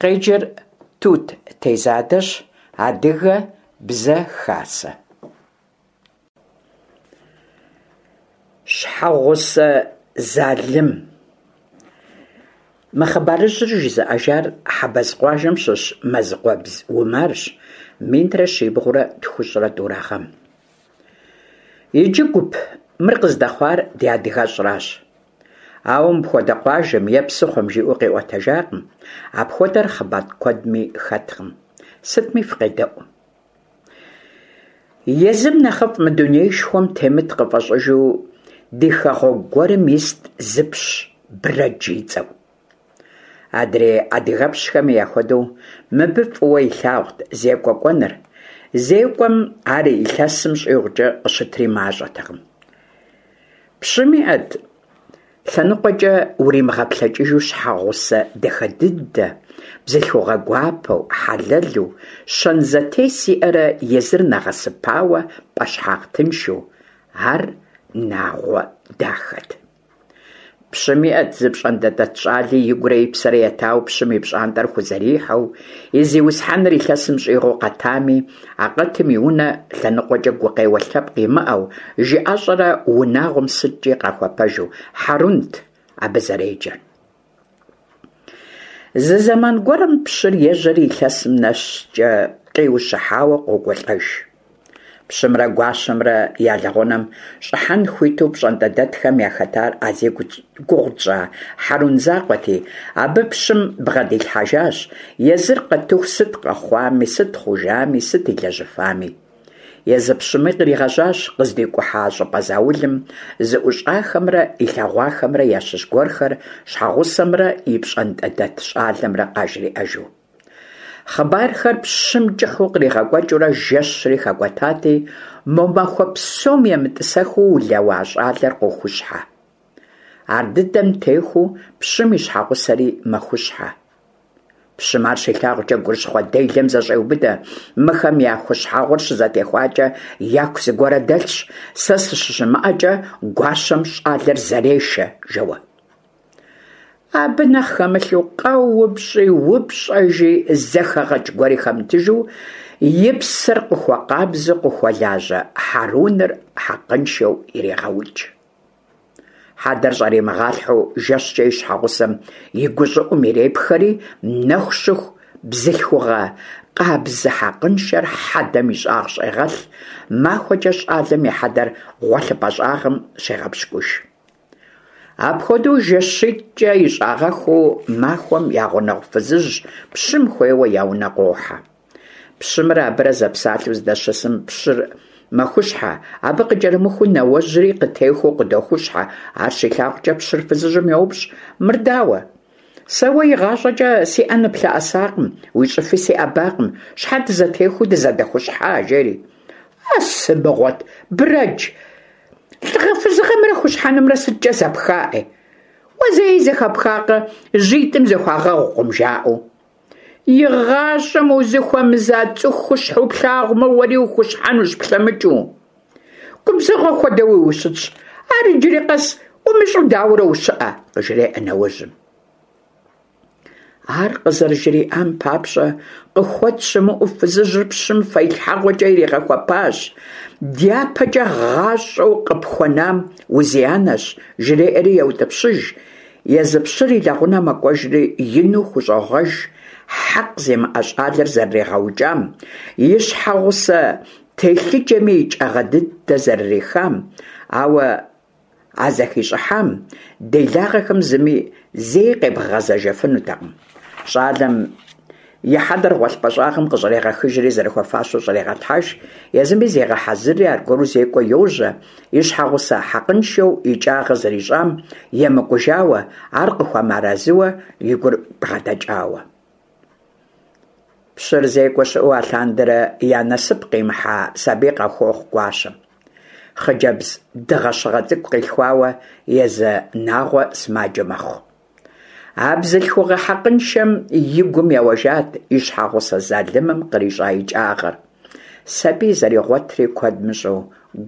Къеджэр Тут Тезадэщ, Адыгэ бзэ хасэ. Щхьэгъусэ залым. Мы хъыбарыжьыр жызыӏэжар Хьэбэз къуажэм щыщ Мэзыкъуэбз Умарщ, минрэ щибгъурэ тхущӏрэ тӏурэ гъэм. Иджы, гуп, мыр къыздэхъуар ди адыгэщӏращ. Ауэ мыпхуэдэ къуажэм е псыхъуэм жиӏэу къиӏуэтэжакъым, апхуэдэр хъыбар куэдми хэткъым. Сытми фыкъедэӏу. Езым нэхъыфӏ мы дунеишхуэм темыт къыфӏэщӏыжу ди хэгъуэгу гуэрым ист зыпщ Брэдж и цӏэу. Адрей адыгэпщхэми яхуэдэу, мыбы фӏыуэ илъагъут зекӏуэ кӏуэныр. Зекӏуэм ар илъэсым щӏигъукӏэ къыщытри мащӏэтэкъым. Пщым иӏэт лъэныкъуэкӏэ уримыгъэплъэкӏыжу щхьэгъусэ дахэ дыдэ, бзылъхугъэ гуапэу, хьэлэлу, щэн зэтес иӏэрэ езыр нэгъэсыпауэ пӏэщхьагъ тыншу. Ар Нагъуэ дахэт. Пщым иӏэт зы пщӏантӏэдэт щӏали игурэ и псэрэ етауэ пщым и пщӏантӏэр хузэрихьэу, и зиусхьэныр илъэсым щӏигъуу къэтами, а къэтым и унэ лъэныкъуэкӏэ гукъеуэ лъэпкъ имыӏэу, жыӏэщӏэрэ унагъуэм сыткӏи къахуэпэжу, Хьэрунт абы зэреджэр. Зы зэман гуэрым пщыр ежьэри илъэсым нэскӏэ къиущыхьауэ къокӏуэлӏэж. Пщымрэ гуащэмрэ я лэгъунэм щӏыхьэн хуиту пщӏантӏэдэтхэм яхэтар а зи гугъу тщӏа Хьэрун закъуэти, абы пщым бгъэдилъхьэжащ езыр къэтыху сыт къэхъуами, сыт хъужами, сыт илэжьыфами. Езы пщыми къригъэжьащ къыздикӏухьа щӏыпӏэ заулым зыӏущӏахэмрэ илъэгъуахэмрэ ящыщ гуэрхэр щхьэгъусэмрэ и пщӏантӏэдэт щӏалэмрэ къажриӏэжу. Хъыбархэр пщым кӏыхьу къригъэкӏуэкӏыурэ жэщри хэкӏуэтати, мо махуэ псом емытӏысэхыу улэуа щӏалэр къохущхьэ. Ардыдэм техуэу пщым и щхьэгъусэри мэхущхьэ. Пщым ар щилъагъукӏэ гурыщхъуэ делэм зэщӏеубыдэ, мыхэм я хущхьэгъуэр щызэтехуакӏэ яку зыгуэрэ дэлъщ, сэ сыщыщымыӏэкӏэ гуащэм щӏалэр зэрешэ, жэуэ. Абы нэхъ хэмылъу къэупщӏи, упщӏэжи, зэхэгъэкӏ гуэри хэмытыжу, и псэр къыхуэкъабзэу къыхуэлажьэ Хьэруныр хьэкъыншэу ирегъэукӏ. Хьэдэр щӏримыгъалъхьэу жэщкӏэ и щхьэгъусэм и гущӏыӏум ирепхэри, нэху щыху бзылъхугъэ къабзэ хьэкъыншэр хьэдэм и щӏагъ щӏегъэлъ, махуэкӏэ щӏалэм и хьэдэр гъуэлъыпӏэ щӏагъым щегъэпщкӏуж. Апхуэдэу жэщитӏкӏэ ищӏагъэххэу махуэм я гъунэгъу фызыжь пщым хуейуэ я унэ къохьэ. Пщымрэ абырэ зэпсалъэу здэщысым пщыр мэхущхьэ, абы къыкӏэрымыхуу нэуэжьри къытехуэу къыдохущхьэ. Ар щилъагъукӏэ пщыр фызыжьым йоупщӏ: Мыр дауэ? Сэ уэ игъащӏэкӏэ си ӏэ ныплъэӏэсакъым, уи щӏыфи сиӏэбакъым, щхьэ дызэтехуэу дызэдэхущхьа? жери. А сымыгъуэт, Брэдж! Лӏыгъэ-фызыгъэмрэ хущхьэнымрэ сыткӏэ зэпха, ӏей? Уэ зэи зэхэпхакъэ, жьитӏым зэхуагъэгъукъым, жаӏэу. Игъащӏэм узыхуэмыза цӏыху хущхьэу плъагъумэ, уэри ухущхьэнущ плъэмыкӏыу. Губзыгъэ хуэдэуи ущытщ, ар иджыри къэс умыщӏэу дауэрэ ущыӏэ, къыжреӏэ нэуэжьым. Ар къызэрыжриӏам папщӏэ, къыхуэт щымыӏэу фызыжьыр пщым фэилъхьэгъуэкӏэ иригъэхуэпащ. Дяпэкӏэ гъащӏэу къыпхуэнам узианэщ, жреӏэри еутӏыпщыж. Езы пщыр и лэгъунэ мэкӏуэжри ину хущӏогъуэж хьэкъ зимыӏэ щӏалэр зэрыригъэукӏам, и щхьэгъусэ телъыджэми икӏагъэ дыдэ зэрырихам, ауэ А зэхищӏыхьам делагъэхэм зыми зэи къебгъэгъэзэжыфынутэкъым. Щӏалэм и хьэдэр гъуэлъыпӏэ щӏагъым къыщӏрегъэхыжри зэрыхуэфащэу щӏрегъэлъхьэж, езыми зегъэхьэзырри аргуэру зекӏуэ йожьэ, и щхьэгъусэ хьэкъыншэу икӏагъэ зэрищӏам емыкӏужауэ, ар къыхуэмыарэзыуэ и гур бгъэдэкӏауэ. Пщыр зекӏуэ щыӏэу алъандэрэ я насып къимыхьа сабий къахуохъу гуащэм. Хъыджэбз дыгъэщыгъэ цӏыкӏу къилъхуауэ езы Нагъуэ сымаджэ мэхъу. А бзылъхугъэ хьэкъыншэм и гум еуэжат и щхьэгъусэ залымым кърищӏа икӏагъэр. Сабий зэригъуэтри куэд мыщӏэу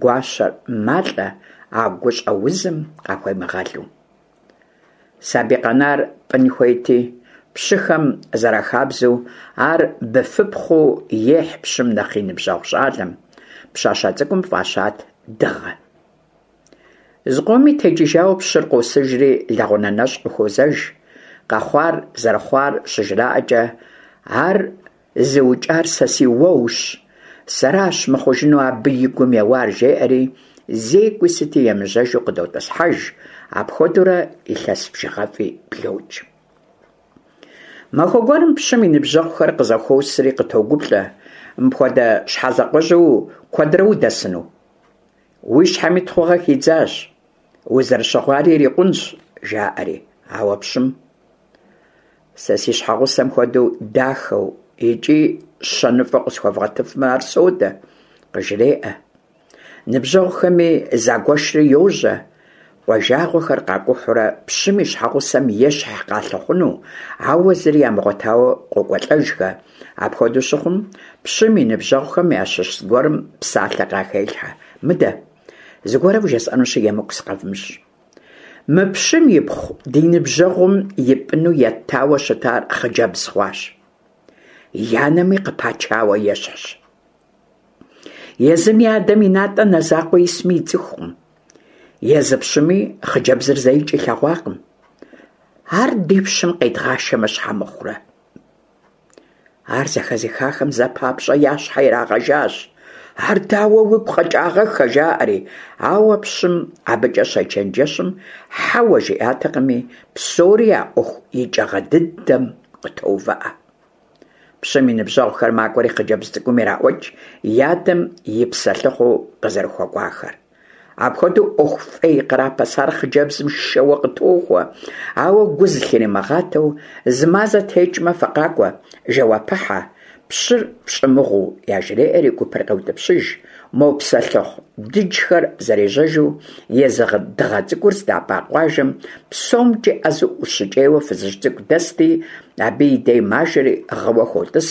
гуащэр малӏэ а гущӏэузым къахуемыгъэлу. Сабий къэнар пӏын хуейти, Пщыхэм зэрахабзэу, ар быфыпхъуу ехь пщым нэхъ и ныбжьэгъу щӏалэм. Пщащэ цӏыкӏум фӏащат Дыгъэ. Зыкъоми текӏыжауэ пщыр къосыжри лэгъунэ нэщӏ къыхуозэж. Къэхъуар зэрыхъуар щыжраӏэкӏэ, ар зыукӏар сэ си уэущ, сэращ мыхъужыну абы и гум еуар, жеӏэри, зекӏуи сыти емыжьэжу къыдотӏысхьэж, апхуэдэурэ илъэс бжыгъэфӏи блокӏ. Махуэ гуэрым пщым и ныбжьэгъухэр къызэхуосри къытогуплӏэ, мыпхуэдэ щхьэзакъуэжьу куэдрэ удэсыну? Уи щхьэми тхъугъэ хидзащ, узэрыщыгъуари ирикъунщ, жаӏэри. Ауэ пщым сэ си щхьэгъусэм хуэдэу дахэу икӏи щэныфӏэу къысхуэвгъуэтыфмэ, ар содэ, къыжреӏэ. Ныбжьэгъухэми загуэшри йожьэ, къуажагъуэхэр къакӏухьурэ пщым и щхьэгъусэм ещхь къалъыхъуну, ауэ зыри ямыгъуэтауэ къокӏуэлӏэжхэ. Апхуэдэу щыхъум, пщым и ныбжьэгъухэм ящыщ зыгуэрым псалъэ къахелъхьэ: Мыдэ, зыгуэрэ вжесӏэнущи, емыкӏу сыкъэвмыщӏ. Мы пщым ипхъу ди ныбжьэгъум ипӏыну еттауэ щытар хъыджэбз хъуащ. И анэми къыпачауэ ещхьщ. Езым и адэм и натӏэ нэ закъуэ исми ицӏыхукъым. Езы пщыми хъыджэбзыр зэикӏ илъэгъуакъым. Ар ди пщым къедгъашэмэ щхьэ мыхъурэ? Ар зэхэзыхахэм зэ папщӏэ я щхьэ ирагъэжащ. Ар дауэ уигу къэкӏагъэххэ, жаӏэри. Ауэ пщым абыкӏэ щечэнджэщым хьэуэ жиӏатэкъыми, псори а ӏуэху икӏагъэ дыдэм къытоувыӏэ. Пщым и ныбжьэгъухэр макӏуэри хъыджэбз цӏыкӏум ираӏуэкӏ и адэм и псэлъыхъуу къызэрыхуэкӏуахэр. Апхуэдэу ӏуэху фӏей кърапэсар хъыджэбзым шэуэ къытохуэ, ауэ гу зылъримыгъатэу зы мазэ текӏмэ фыкъакӏуэ, жэуапыхьэ, пщыр фщӏымыгъуу, яжреӏэри гупыр къеутӏыпщыж, мо псэлъыхъу дыджхэр зэрежьэжу езы Дыгъэ цӏыкӏур здапӏа къуажэм псомкӏи ӏэзэу ӏущыкӏейуэ фызыжь цӏыкӏу дэсти, абы и дей мажэри гъыуэ хуотӏыс,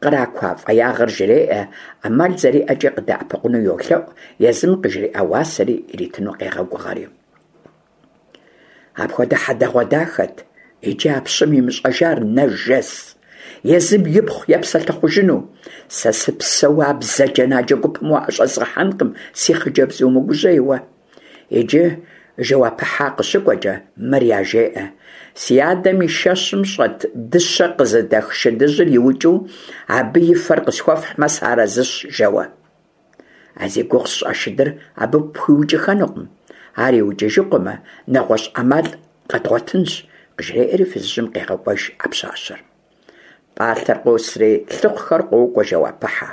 къракуа фӏеягъэр жреӏэ, ӏэмал зэриӏэкӏи къыдэӏэпыкъуну йолъэӏу, езым къыжриӏа уасэри иритыну къегъэгугъэри. Апхуэдэ хьэдэгъуэдахэт иджы а пщым имыщӏэжар нэжэс, езым ипхъу епсэлъыхъужыну. Сэ сыпсэууэ а бзаджэнаджэ гупым уаӏэщӏэзгъэхьэнкъым, си хъыджэбз умыгужьей уэ. Иджы жэуапыхьэ къыщыкӏуэкӏэ мыр яжеӏэ: Си адэм и шэщым щӏэт дыщэ къызыдэх шыдыжьыр иукӏыу абы и фэр къысхуэфхьмэ сыарэзыщ, жэуэ. А зи гугъу сщӏа шыдыр абы пхуиукӏыхэнукъым. Ар иукӏыжыкъуэмэ, нэгъуэщӏ ӏэмал къэдгъуэтынщ, къыжреӏэри фызыжьым къегъэкӏуэж а пщащэр. Пӏалъэр къосри, лъыхъухэр къокӏуэ жэуапыхьэ.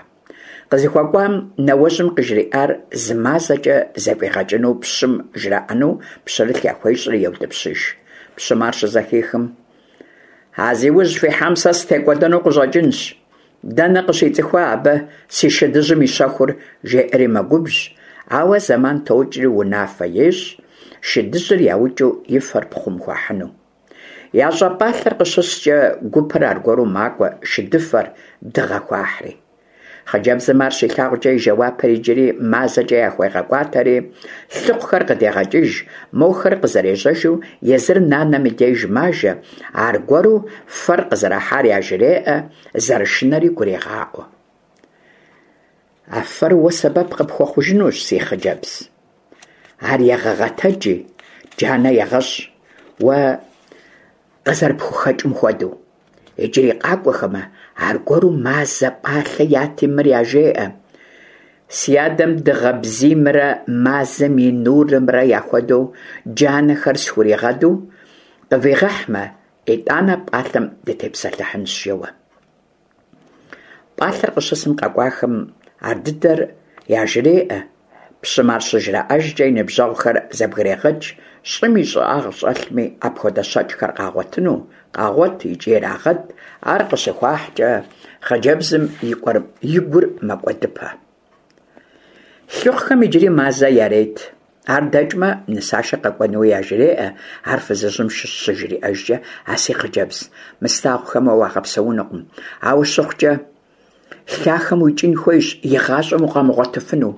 Къызыхуэкӏуам нэуэжьым къыжриӏар зы мазэкӏэ зэфӏигъэкӏыну пщым жраӏэну пщэрылъ яхуещӏри еутӏыпщыж. Пщым ар щызэхихым, А зи ужь фихьам сэ сытекӏуэдэну къыщӏэкӏынщ. Дэнэ къыщицӏыхуа абы си шыдыжьым и щэхур, жеӏэри мэгубжь, ауэ зэман токӏри унафэ ещӏ, шыдыжьыр яукӏыу и фэр пхъум хуахьыну. Ящӏа пӏалъэр къыщыскӏэ, гупыр аргуэру макӏуэ шыдыфэр Дыгъэ хуахьри. Хъыджэбзым ар щилъагъукӏэ и жэуапыр иджыри мазэкӏэ яхуегъэкӏуатэри, лъыхъухэр къыдегъэкӏыж, мохэр къызэрежьэжу езыр нанэм и деж мажэ, аргуэру фэр къызэрахьар яжреӏэ, зэрышынэри гурегъаӏуэ. А фэр уэ сэбэп къыпхуэхъужынущ, си хъыджэбз. Ар егъэгъэтэджи, джанэ егъэщӏ, уэ къызэрыпхухэкӏым хуэдэу. Иджыри къакӏуэхэмэ, аргуэру мазэ пӏалъэ яти мыр яжеӏэ: Си адэм дыгъэ бзиймрэ мазэм и нурымрэ яхуэдэу джанэхэр схуригъэду къывигъэхьмэ, итӏанэ пӏалъэм дытепсэлъыхьынщ, жэуэ. Пӏалъэр къыщысым къэкӏуахэм ардыдэр яжреӏэ. Пщым ар щыжраӏэжкӏэ и ныбжьэгъухэр зэбгрегъэкӏ, щӏым и щӏагъ щӏэлъми апхуэдэ щэкӏхэр къагъуэтыну, къагъуэт икӏи ирагъэд, ар къыщыхуахькӏэ хъыджэбзым и гур мэкӏуэдыпэ. Лъыхъухэм иджыри мазэ ярет. Ар дэкӏмэ, нысашэ къэкӏуэнуи яжреӏэ, ар фызыжьым щыжриӏэжкӏэ, а си хъыджэбз, мы слъагъухэм уэ уагъэпсэунукъым. Ауэ щыхъукӏэ, лъахэм уикӏын хуейщ, игъащӏэм укъамыгъуэтыфыну.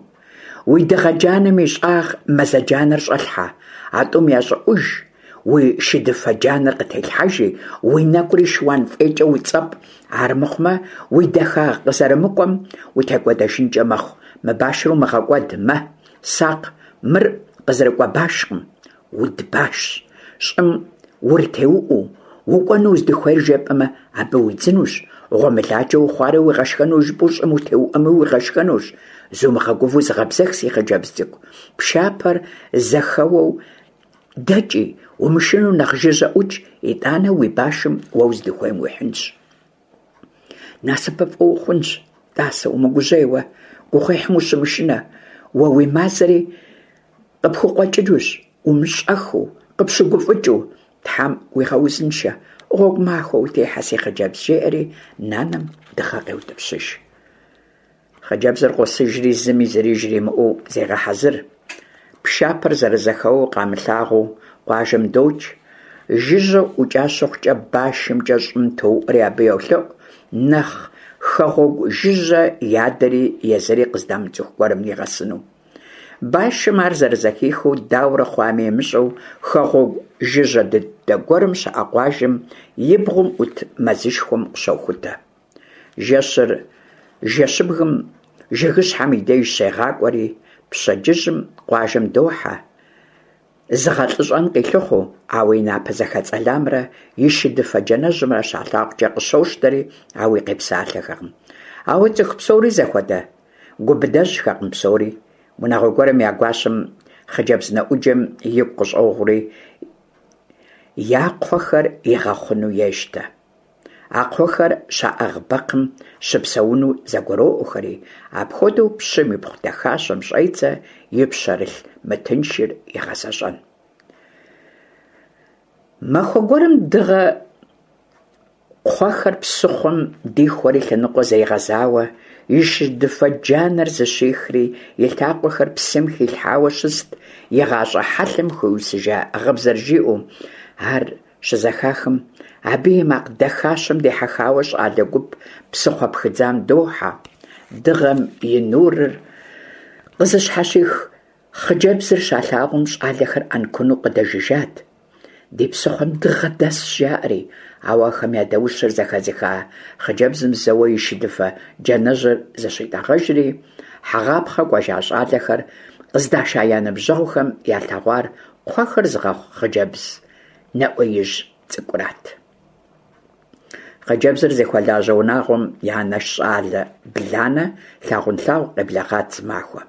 Уи дыгъэ джанэм и щӏагъ мазэ джанэр щӏэлъхьэ, а тӏум я щӏыӏуж. уи шыдыфэ джанэр къытелъхьэжи, уи нэкӏури шыуан фӏейкӏэ уцӏэпӏ, армыхъумэ уи дахагъ къызэрымыкӏуэм утекӏуэдэжынкӏэ мэхъу. Мы башыр умыгъэкӏуэд, мэ, сакъ, мыр къызэрыкӏуэ башкъым, уд башщ. Щӏым урытеуӏуэу, укӏуэну уздыхуейр жепӏэмэ, абы уидзынущ, гъуэмыладжэ ухъуарэ уигъэшхэну жыпӏэу щӏым утеуӏуэми уигъэшхэнущ. Зумыгъэгувэу зыгъэбзэх, си хъыджэбз цӏыкӏу, пшапэр зэхэуэу дэкӏи, умышынэу нэхъ жыжьэ ӏукӏ, итӏанэ уи башым уэ уздыхуейм уихьынщ. Насыпыфӏэ ухъунщ, тӏасэ, умыгужьей уэ, гугъуехьым ущымышынэ, уэ уи мазэри къыпхукъуэкӏынущ, умыщӏэхыу, къыпщыгуфӏыкӏыу, Тхьэм уигъэузыншэ, гъуэгу махуэ утехьэ, си хъыджэбз, жеӏэри нанэм дыгъэ къеутӏыпщыж. Хъыджэбзыр къосыжри зыми зыри жримыӏэу зегъэхьэзыр. Пшапэр зэрызэхэуэу къамылъагъуу къуажэм докӏ. Жыжьэу ӏукӏа щыхъукӏэ башымкӏэ щӏым тоуӏуэри абы йолъэӏу, нэхъ хэгъуэгу жыжьэ и адэри езыри къыздамыцӏыху гуэрым нигъэсыну. Башым ар зэрызэхихыу, дауэрэ хъуами имыщӏэу, хэгъуэгу жыжьэ дыдэ гуэрым щыӏэ къуажэм и бгъум ӏут мэзышхуэм къыщохутэ. Жэщыр жэщыбгым жыгыщхьэм и деж щегъакӏуэри, пщэдджыжьым къуажэм дохьэ, зыгъэлӏыщӏэн къилъыхъуэу, ауэ и напэ зэхэцӏэламрэ и шыдыфэ джанэжьымрэ щалъагъукӏэ къыщощтэри, ауи къепсалъэхэкъым. Ауэ цӏыху псори зэхуэдэ? Гу быдэжьхэкъым псори. Унагъуэ гуэрым я гуащэм хъыджэбз нэӏуджэм игу къыщӏогъури, я кхъуэхэр игъэхъуну ещтэ. А кхъуэхэр щаӏыгъ бэкхъым щыпсэуну зэгуроӏуэхэри, апхуэдэу пщым ипхъу дахащэм щӏедзэ и пщэрылъ мытыншыр игъэзэщӏэн. Махуэ гуэрым дыгъэ кхъуэхэр псыхъуэм дихуэри лъэныкъуэ зригъэзауэ, и шыдыфэ джанэр зыщихри, и лъакъуэхэр псым хилъхьауэ щыст, и гъащӏэ хьэлъэм хуиусыжа гъыбзэр жиӏэу. Ар Щызэхахым, абы и макъ дахащэм дихьэхауэ щӏалэ гуп псыхъуэ пхыдзам дохьэ. Дыгъэм и нурыр къызыщхьэщих хъыджэбзыр щалъагъум, щӏалэхэр ӏэнкуну къыдэжыжат. Ди псыхъуэм дыгъэ дэсщ, жаӏэри, ауэ ахэм я даущыр зэхэзыха хъыджэбзым зэуэ и шыдыфэ джанэжьыр зыщитӏэгъэжри, хьэгъапхъэ кӏуэжа щӏалэхэр къыздаша я ныбжьэгъухэм ялъэгъуар кхъуэхэр зыгъэхъу хъыджэбз нэӏуеижь цӏыкӏурат. Хъыджэбзыр зыхуэлажьэ унагъуэм я анэш щӏалэ Бланэ лъагъунлъагъу къеблэгъат зымахуэ.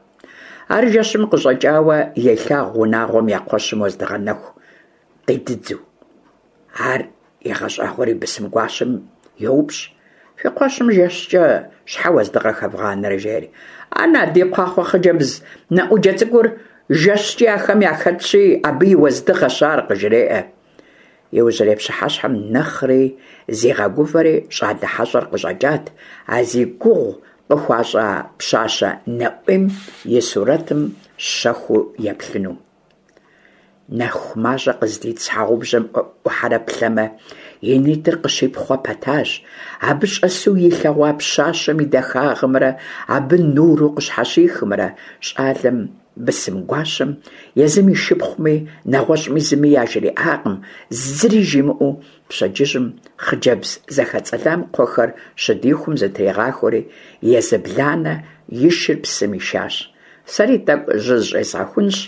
Ар жэщым къыщӏэкӏауэ елъагъу унагъуэм я кхъуэщым уэздыгъэ нэху къидыдзу. Ар егъэщӏагъуэри бысым гуащэм йоупщӏ: Фи кхъуэщым жэщкӏэ щхьэ уэздыгъэ хэвгъанэрэ? жери. Ана, ди кхъуахъуэ хъыджэбз нэӏуджэ цӏыкӏур жэщкӏи ахэм яхэтщи, абы и уэздыгъэщ ар, къыжреӏэ. Иужьрей пщыхьэщхьэм нэхъри зигъэгувэри щӏалэ хьэщӏэр къыщӏэкӏат, а зи гугъу къыхуащӏа пщащэ нэӏуейм и сурэтым щэхуу еплъыну. Нэху мащӏэ къыздит щхьэгъубжэм ӏухьэрэ плъэмэ, и нитӏыр къыщипхъуэ пэтащ. Абы щӏэсу илъэгъуа пщащэм и дахагъымрэ абы нуру къыщхьэщихымрэ щӏалэм бысым гуащэм езым и шыпхъуми, нэгъуэщӏми зыми яжриӏакъым, зыри жимыӏэу пщэдджыжьым хъыджэбз зэхэцӏэлам кхъуэхэр щыдихум зытригъахуэри, езы Бланэ и шыр псым ишащ. Сэри тӏэкӏу жьы зыщӏезгъэхунщ,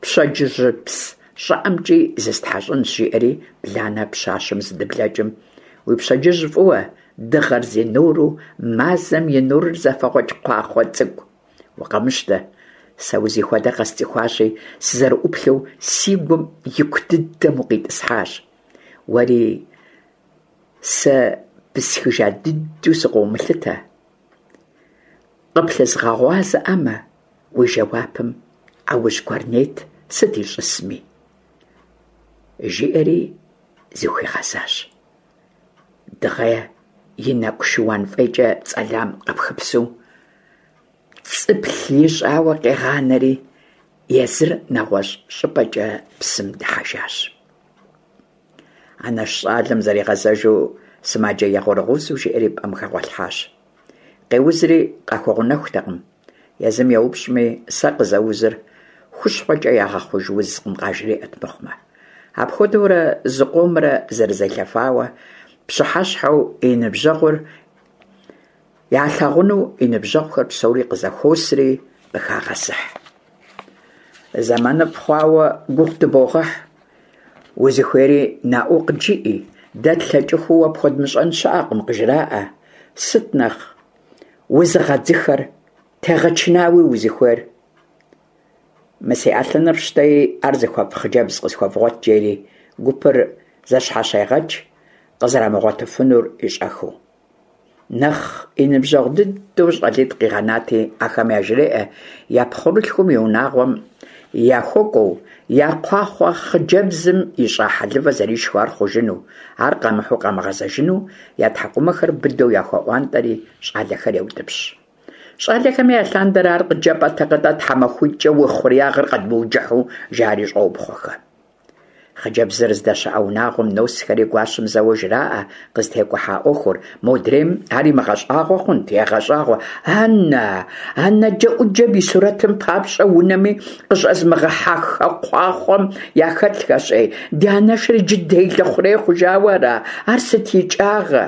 пщэдджыжьыпс щӏыӏэмкӏи зыстхьэщӏынщ, жиӏэри Бланэ пщащэм здыблэкӏым, Уи пщэдджыжь фӏыуэ, дыгъэр зи нуру, мазэм и нурыр зэфэгъуэкӏ кхъуахъуэ цӏыкӏу. Укъэмыщтэ, сэ узихуэдэ къэсцӏыхуащи, сызэрыӏуплъэу си гум ику дыдэм укъитӏысхьащ. Уэри сэ бысхыжа дыдэу сыкъыумылъытэ. Къыплъызгъэгъуазэӏэмэ, уи жэуапым ӏэужь гуэр нет сыт ищӏысми, жиӏэри зыхуигъэзащ. Дыгъэ и нэкӏу шыуан фӏейкӏэ цӏэлам къыпхыпсу, цӏыплъ ищӏауэ къигъанэри, езыр нэгъуэщӏ щӏыпӏэкӏэ псым дыхьэжащ. Анэш щӏалэм зэригъэзэжу сымаджэ егъурыгъузу жиӏэри пӏэм хэгъуэлъхьащ. Къеузри къахуэгъунэхутэкъым. Езым еупщӏми, сэ къызэузыр хущхъуэкӏэ ягъэхъуж узкъым къажриӏэт мыхъумэ. Апхуэдэурэ зыкъомрэ зэрызелъэфауэ, пщыхьэщхьэу и ныбжьэгъур ялъагъуну и ныбжьэгъухэр псори къызэхуосри къыхагъэзыхь. Зэманыфӏ хъуауэ гугъу дыбогъэхь, узыхуейри наӏуэу къыджиӏи, дэ тлъэкӏыху уэ пхуэдмыщӏэн щыӏэкъым, къыжраӏэ. Сыт нэхъ узыгъэдзыхэр, тегъэчынауи узыхуейр? Мы си ӏэлъыныр фщтэи, ар зыхуэфӏ хъыджэбз къысхуэвгъуэт, жери гупыр зэщхьэщегъэкӏ, къызэрамыгъуэтыфынур ищӏэхыу. Нэхъ и ныбжьэгъу дыдэу щӏалитӏ къигъэнати, ахэм яжреӏэ я пхъурылъхум и унагъуэм яхуэкӏуэу, я кхъуахъуэ хъыджэбзым ищӏа хьэлывэ зэришхыу ар хъужыну, ар къамыхьу къамыгъэзэжыну я тхьэкӏумэхэр быдэу яхуеӏуантӏэри щӏалэхэр еутӏыпщ. Щӏалэхэми алъандэрэ ар къыджепӏэтэкъэ-тӏэ тхьэмахуитӏкӏэ уи хъуреягъыр къэдмыуджыхьу, жари щӏопхъуэхэ. Хъыджэбзыр здэщыӏэ унагъуэм носхэри гуащэм зэуэ жраӏэ къызытекӏухьа ӏуэхур, модрейм ар имыгъэщӏагъуэ хъунт, егъэщӏагъуэ, Анэ, а нэджэӏуджэм и сурэтым папщӏэ унэми къыщӏэзмыгъэхьэххэ кхъуахъуэм яхэтхэщ, ӏей, ди анэшыр иджы делэ хъурей хъужауэ ара, ар сыт икӏагъэ?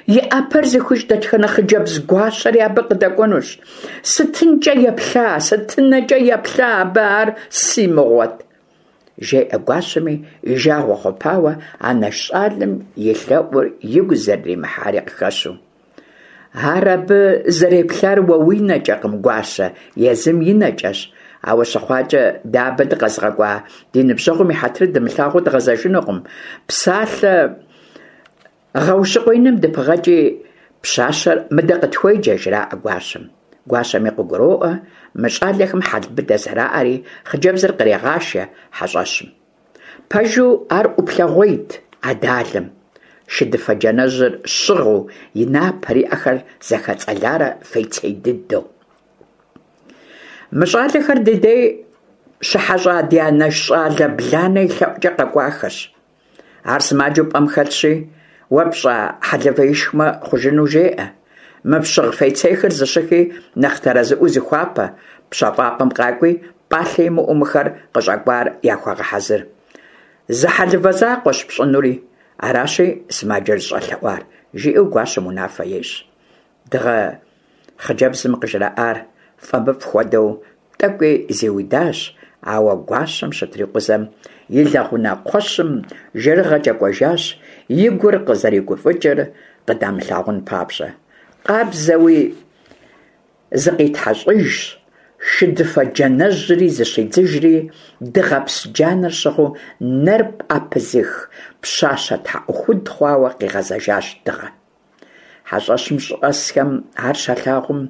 И ӏэпэр зыхуищӏ дэтхэнэ хъыджэбз гуащэри абы къыдэкӏуэнущ. Сытынкӏэ еплъа, сытынэкӏэ еплъа абы ар си мыгъуэт? Жеӏэ гуащэми, и жагъуэ хъупауэ, анэш щӏалэм и лъэӏур игу зэрыримыхьари къыхэщу. Ар абы зэреплъар уэ уи нэкӏэкъым, гуащэ, езым и нэкӏэщ. Ауэ щыхъуакӏэ, дэ абы дыкъэзыгъэкӏуа ди ныбжьэгъум и хьэтыр дымылъагъуу дгъэзэжынукъым. Псалъэ Гъэущыкъуеиным дыпыгъэкӏи, пщащэр мыдэ къытхуеджэ, жраӏэ гуащэм. Гуащэми къыгуроӏуэ мы щӏалэхэм хьэл быдэ зэраӏэри, хъыджэбзыр кърегъашэ хьэщӏэщым. Пэжу, ар ӏуплъэгъуейт а далэм. Шыдыфэ джанэжьыр щыгъыу, и напэр, и ӏэхэр зэхэцӏэларэ фейцей дыдэу. Мы щӏалэхэр ди дей щыхьэщӏа ди анэш щӏалэ Бланэ и лъэӏукӏэ къэкӏуахэщ. Ар сымаджэу пӏэм хэлъщи, уэ пщӏа хьэлывэ ишхмэ, хъужыну жеӏэ. Мы пщыгъ фейцейхэр зыщыхи, нэхъ тэрэзыӏуэу зыхуапэ, пщэфӏапӏэм къакӏуи, пӏалъэ имыӏэу мыхэр къыщӏэкӏуар яхуэгъэхьэзыр. Зы хьэлывэ закъуэщ пщӏынури, аращи сымаджэр зыщӏэлъэӏуар, жиӏэу гуащэм унафэ ещӏ. Дыгъэ хъыджэбзым къыжраӏар фӏэмыфӏ хуэдэу тӏэкӏуи зиудащ, ауэ гуащэм щытрикъузэм и лэгъунэ кхъуэщым жэрыгъэкӏэ кӏуэжащ, и гур къызэригуфӏыкӏыр къыдамылъагъун папщӏэ. Къабзэуи зыкъитхьэщӏыжщ, шыдыфэ джанэжьри зыщидзыжри, дыгъэпс джанэр щыгъыу нэр пӏэпызых пщащэ тхьэӏухуд хъуауэ къигъэзэжащ Дыгъэ. Хьэщӏэщым щӏэсхэм ар щалъагъум,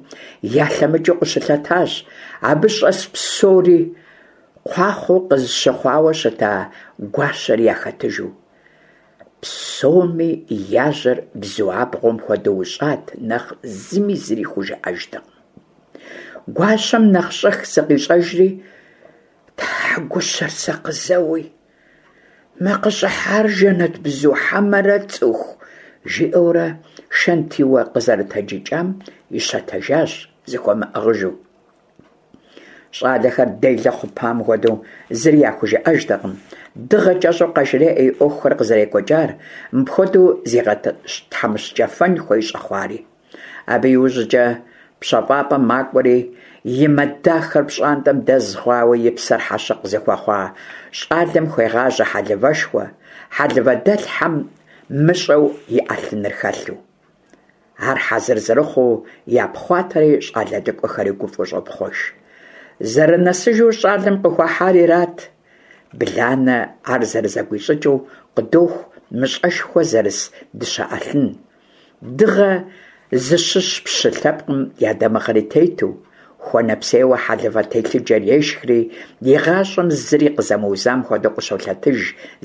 ялъэмыкӏыу къыщылъэтащ. Абы щӏэс псори кхъуахъуэу къызыщыхъуауэ щыта гуащэри яхэтыжу. Псоми я жьэр бзу абгъуэм хуэдэу ущӏат, нэхъ зыми зыри хужыӏэжтэкъым. Гуащэм нэхъ щӏэх зыкъищӏэжри, Тхьэ гущэр сэ къызэуи! Мы къыщӏыхьар жэнэтбзу хьэмэрэ цӏыху? жиӏэурэ шэнтиуэ къызэрытэджыкӏам ищэтэжащ зыхуэмыӏыгъыжу. Щӏалэхэр делэ хъупам хуэдэу зыри яхужыӏэжтэкъым. Дыгъэ кӏэщӏу къажреӏэ и ӏуэхухэр къызэрекӏуэкӏар, мыпхуэдэу зигъэтхьэмыщкӏэфэн хуей щӏэхъуари. Абы иужькӏэ пщэфӏапӏэм макӏуэри, и мэ дахэр пщӏантӏэм дэз хъуауэ и псэр хьэщыкъ зыхуэхъуа щӏалэм хуегъажьэ хьэлывэшхуэ, хьэлывэдэлъхьэм мыщӏэу и ӏэлъыныр хэлъу. Ар хьэзыр зэрыхъуу япхъуатэри щӏалэ лӏыкӏуэхэри гуфӏэу щӏопхъуэж. Зэрынэсыжу щӏалэм къыхуахьар ират. Бланэ ар зэрызэгуищӏыкӏыу къыдоху мыщӏэшхуэ зэрыс дыщэ ӏэлъын. Дыгъэ зыщыщ пщы лъэпкъым я дамыгъэри тету, хуэнэпсейуэ хьэлывэ телъыджэр ешхри, и гъащӏэм зыри къызэмыузам хуэдэу къыщолъэтыж,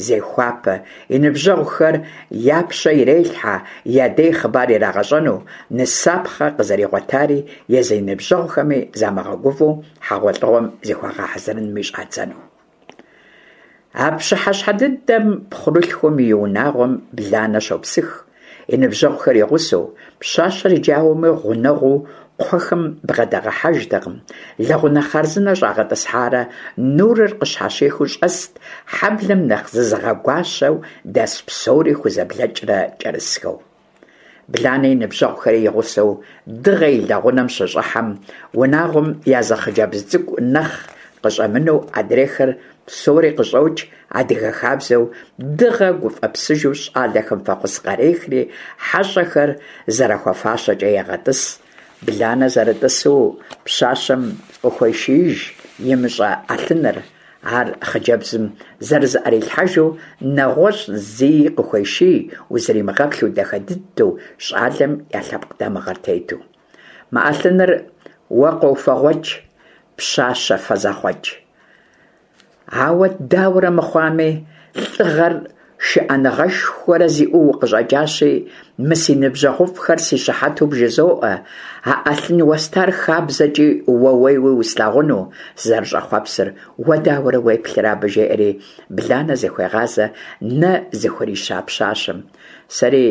зехуапэ, и ныбжьэгъухэр я пщэ ирелъхьэ, я дей хъыбар ирагъэщӏэну, нысапхъэ къызэригъуэтари, езы и ныбжьэгъухэми замыгъэгувэу хьэгъуэлӏыгъуэм зыхуагъэхьэзырынми щӏадзэну. А пщыхьэщхьэ дыдэм пхъурылъхум и унагъуэм Бланэ щопсых. и ныбжьэгъухэр и гъусэу, пщащэр иджы ауэми гъунэгъуу кхъуэхэм бгъэдагъэхьэжтэкъым, лэгъунэ хъарзынэ щӏагъэтӏысхьарэ нурыр къыщхьэщихыу щӏэст, хьэблэм нэхъ зызыгъэгуащэу дэс псори хузэблэкӏрэ кӏэрысхэу. Бланэ и ныбжьэгъухэри и гъусэу Дыгъэ и лэгъунэм щыщӏыхьэм, унагъуэм я зы хъыджэбз цӏыкӏу нэхъ къыщӏэмынэу адрейхэр псори къыщӏокӏ, адыгэ хабзэу Дыгъэ гуфӏэпсыжу щӏалэхэм фӏэхъус къарехри, хьэщӏэхэр зэрахуэфащэкӏэ егъэтӏыс. Бланэ зэрытӏысу пщащэм къыхуешииж имыщӏэ ӏэлъыныр. Ар хъыджэбзым зэрызыӏэрилъхьэжу нэгъуэщӏ зыи къыхуеший, узримыгъэплъу дахэ дыдэу щӏалэм я лъэпкъ дамыгъэр тету. Мы ӏэлъыныр уэ къофэгъуэкӏ, пщащэ фэзэхъуэкӏ. Ауэ дауэрэ мыхъуами, лӏыгъэр шыӏэныгъэшхуэрэ зиӏэу укъыщӏэкӏащи, мы си ныбжьэгъуфӏхэр си щыхьэту бжызоӏэ, а ӏэлъын уэстар хабзэкӏи уэуейуи услъагъуну сызэрыщӏэхъуэпсыр, уэ дауэрэ уеплърэ абы, жеӏэри Бланэ зыхуегъазэ нэ зыхурища пщащэм. Сэри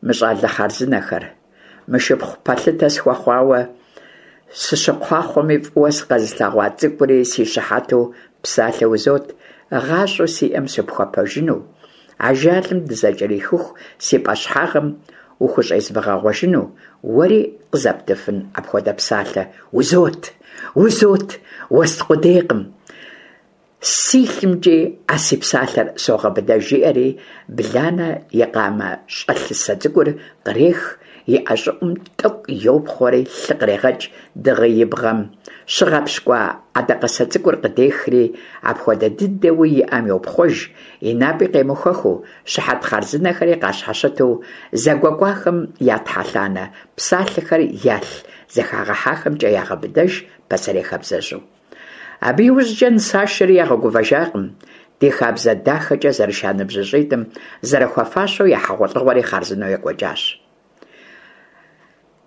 мы щӏалэ хъарзынэхэр, мы шыпхъу пэлъытэ схуэхъуауэ, сыщыкхъуахъуэми фӏыуэ сыкъэзылъэгъуа цӏыкӏури си щыхьэту псалъэ узот, гъащӏэу сиӏэм сыпхуэпэжыну, ажалым дызэкӏэрихыху си пӏэщхьагъым ухущӏезмыгъэгъуэжыну, уэри къызэптыфын апхуэдэ псалъэ? Узот! Узот! Уэст къудейкъым! Си лъымкӏи а си псалъэр согъэбыдэж, жиӏэри, Бланэ и къамэ щӏэлъысэ цӏыкӏур кърех, и ӏэ щӏыӏум тӏэкӏу йопхъуэри лъы кърегъэкӏ, Дыгъи и бгъэм щыгъэпщкӏуа ӏэдакъэсэ цӏыкӏур къыдехри, апхуэдэ дыдэуи и ӏэм йопхъуэж, и напӏи къемыхуэхыу, щыхьэт хъарзынэхэри къащхьэщыту, зэгуэкӏуахэм я тхьэлъанэ псалъэхэр ялъ зэхагъэхьахэмкӏэ ягъэбыдэж пасэрей хабзэжьу. Абы иужькӏэ нысашэри ягъэгувэжакъым, ди хабзэ дахэкӏэ зэрыша ныбжьыщӏитӏым зэрыхуэфащэу я хьэгъуэлӏыгъуэри хъарзынэу екӏуэкӏащ.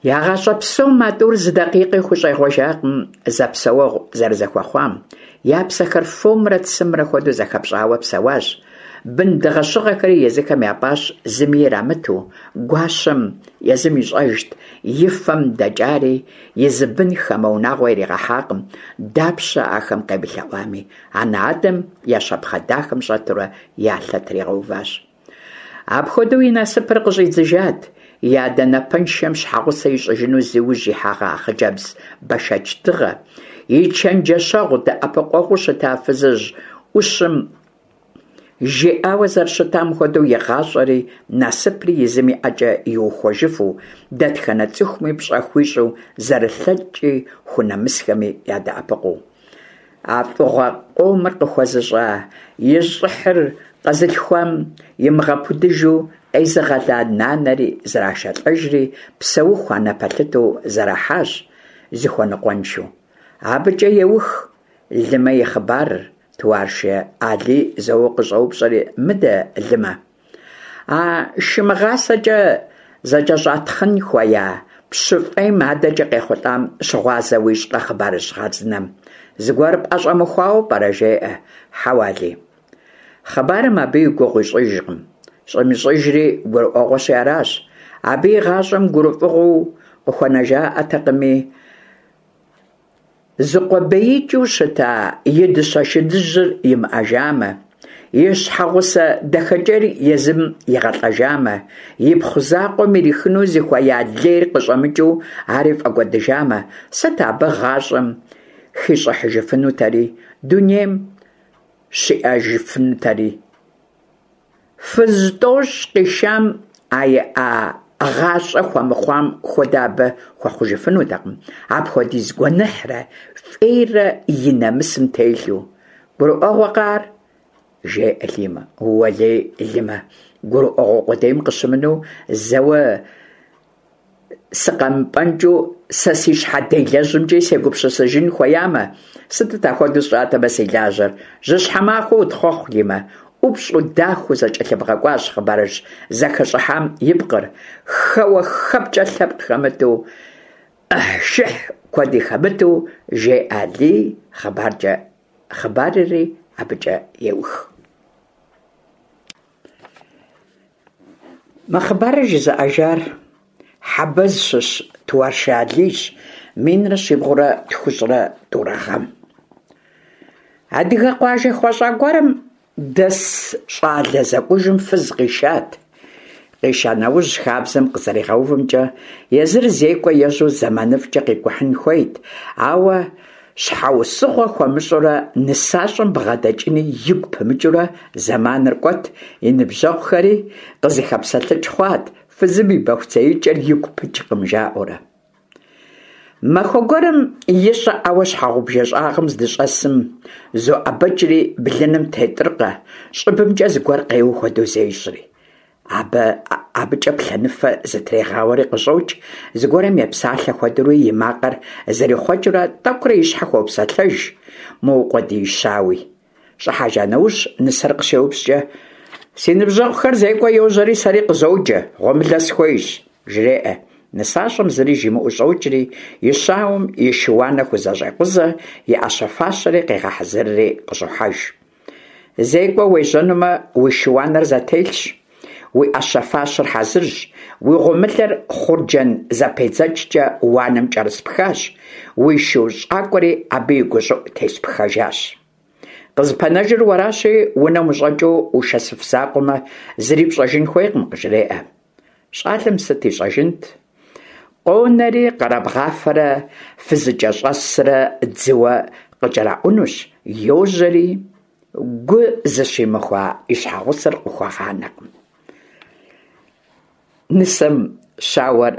Я гъащӏэ псом а тӏур зы дакъикъи хущӏегъуэжакъым зэпсэуэгъу зэрызэхуэхъуам, я псэхэр фомрэ цымрэ хуэдэу зэхэпщӏауэ псэуащ. Бын дыгъэщыгъэхэри езыхэм япӏащ зыми ирамыту, гуащэм езым ищӏэжт и фэм дэкӏари, И зы бын хамэ унагъуэ иригъэхьакъым, дапщэ ахэм къемылъэӏуами, анэ-адэм я щапхъэ дахэм щӏэтурэ я лъэ тригъэуващ. Апхуэдэу и насыпыр къыщӏидзыжат, и адэ напэншэм щхьэгъусэ ищӏыжыну зи ужь ихьэгъа хъыджэбз бэшэч Дыгъэ, и чэнджэщэгъу дэӏэпыкъуэгъуу щыта фызыжь ӏущым Жиӏауэ зэрыщытам хуэдэу и гъащӏэри насыпри езым и ӏэкӏэ иухуэжыфу, дэтхэнэ цӏыхуми пщӏэ хуищӏу, зэрылъэкӏи хунэмысхэми ядэӏэпыкъуу. А фӏыгъуэ къомыр къыхуэзыщӏа, и щӏыхьыр къэзылъхуам имыгъэпудыжу къезыгъэла нанэри зрашэлӏэжри, псэуху анэ пэлъытэу зэрахьащ, зыхуэныкъуэншэу. Абыкӏэ еух Лымэ и хъыбарыр, Туаршы Алий зэуэ къыщӏэупщӏэри, Мыдэ, Лымэ, а шы мыгъасэкӏэ зэкӏэщӏатхъын хуея пщы фӏейм адэкӏэ къехъулӏам щыгъуазэ уищӏкъэ хъыбарыжь хъарзынэм? Зыгуэр пӏэщӏэмыхуауэ пӏэрэ? жеӏэ. Хьэуэ, Алий. Хъыбарым абы и гугъу ищӏыжкъым. Щӏимыщӏыжри гурыӏуэгъуэщи аращ. Абы и гъащӏэм гурыфӏыгъуэу къыхуэнэжаӏэтэкъыми, Зыкъуэбеикӏыу щыта и дыщэ шыдыжьыр имыӏэжамэ, и щхьэгъусэ дахэкӏейр езым игъэлӏэжамэ, ипхъу закъуэм ирихыну зыхуея лейр къыщӏэмыкӏыу ари фӏэкӏуэдыжамэ, сыт абы гъащӏэм хищӏыхьыжыфынутэри, дунейм щиӏэжыфынутэри? Фыз тӏощӏ къишам а иӏа гъащӏэ хуэмыхъуам хуэдэ абы хуэхъужыфынутэкъым, апхуэдиз гуэныхьрэ фӏейрэ и нэмысым телъу. Гурыӏуэгъуэкъэ ар? жеӏэ Лимэ. Уэлей, Лимэ, гурыӏуэгъуэ къудейм къыщымынэу, зэуэ Сыкъэмыпӏэнкӏыу сэ си щхьэ делэжьымкӏи сегупсысыжын хуеямэ, сытыт апхуэдэу сщӏатэмэ си лажьэр? Жьыщхьэ махуэ утхъуэхъу, Лимэ. ӏупщӏу, дахэу зэкӏэлъыбгъэкӏуащ хъыбарыжь зэхэщӏыхьам и пкъыр, хэуэ-хэпкӏэ лъэпкъ хэмыту, ӏыхьшыхь куэди хэмыту, жеӏэ Алий хъыбаркӏэ, хъыбарри абыкӏэ еух. Мы хъыбарыр жызыӏэжар Хьэбэз щыщ Туаршы Алийщ, минрэ щибгъурэ тхущӏрэ тӏурэ гъэм. Адыгэ къуажэ хуэщӏа гуэрым дэс щӏалэ зэкӏужым фыз къишат. Къиша нэужь, хабзэм къызэригъэувымкӏэ, езыр зекӏуэ ежьэу зэманыфӏкӏэ къикӏухьын хуейт, ауэ щхьэусыгъуэ хуэмыщӏурэ нысащӏэм бгъэдэкӏыни игу пымыкӏыурэ зэманыр кӏуэт, и ныбжьэгъухэри къызыхэпсэлъыкӏ хъуат, фызым и бэхуцеикӏэр игу пыкӏкъым, жаӏэурэ. Махуэ гуэрым и щӏыӏэуэ щхьэгъубжэ щӏагъым здыщӏэсым, зоӏэбэкӏри блыным тетӏыркъэ, щӏыбымкӏэ зыгуэр къеуэ хуэдэу зещӏри. Абы абыкӏэ плъэныфэ зытрегъауэри къыщӏокӏ, зыгуэрым епсалъэ хуэдэури и макъыр зэрихъуэкӏыурэ тӏэкӏурэ и щхьэ хуопсэлъэж, мыукъуэдиищауи. Щӏыхьэжа нэужь, нысэр къыщеупщӏкӏэ, Си ныбжьэгъухэр зекӏуэ йожьэри сэри къызоджэ, гъуэмылэ схуейщ, жреӏэ. Нысащӏэм зыри жимыӏэу щӏокӏри, и щауэм и шы-уанэ хузэщӏекъузэ, и ӏэщэ-фащэри къегъэхьэзырри къыщӏохьэж. Зекӏуэ уежьэнумэ, уи шы-уанэр зэтелъщ, уи ӏэщэ-фащэр хьэзырщ, уи гъуэмылэр хъурджэн зэпедзэкӏкӏэ уанэм кӏэрыспхащ, уи шу щӏакӏуэри абы и гущӏыӏу теспхэжащ. Къызыпэнэжыр уэращи, унэм ущӏэкӏыу ушэсыф закъуэмэ, зыри пщӏэжын хуейкъым, къыжреӏэ. Щӏалэм сыт ищӏэжынт? Къонэри къэрабгъафэрэ фызыкӏэщӏэсрэ дзыуэ къыкӏэраӏунущ, йожьэри, гу зыщимыхуа и щхьэгъусэр къыхуэгъанэкъым. Нысэм щауэр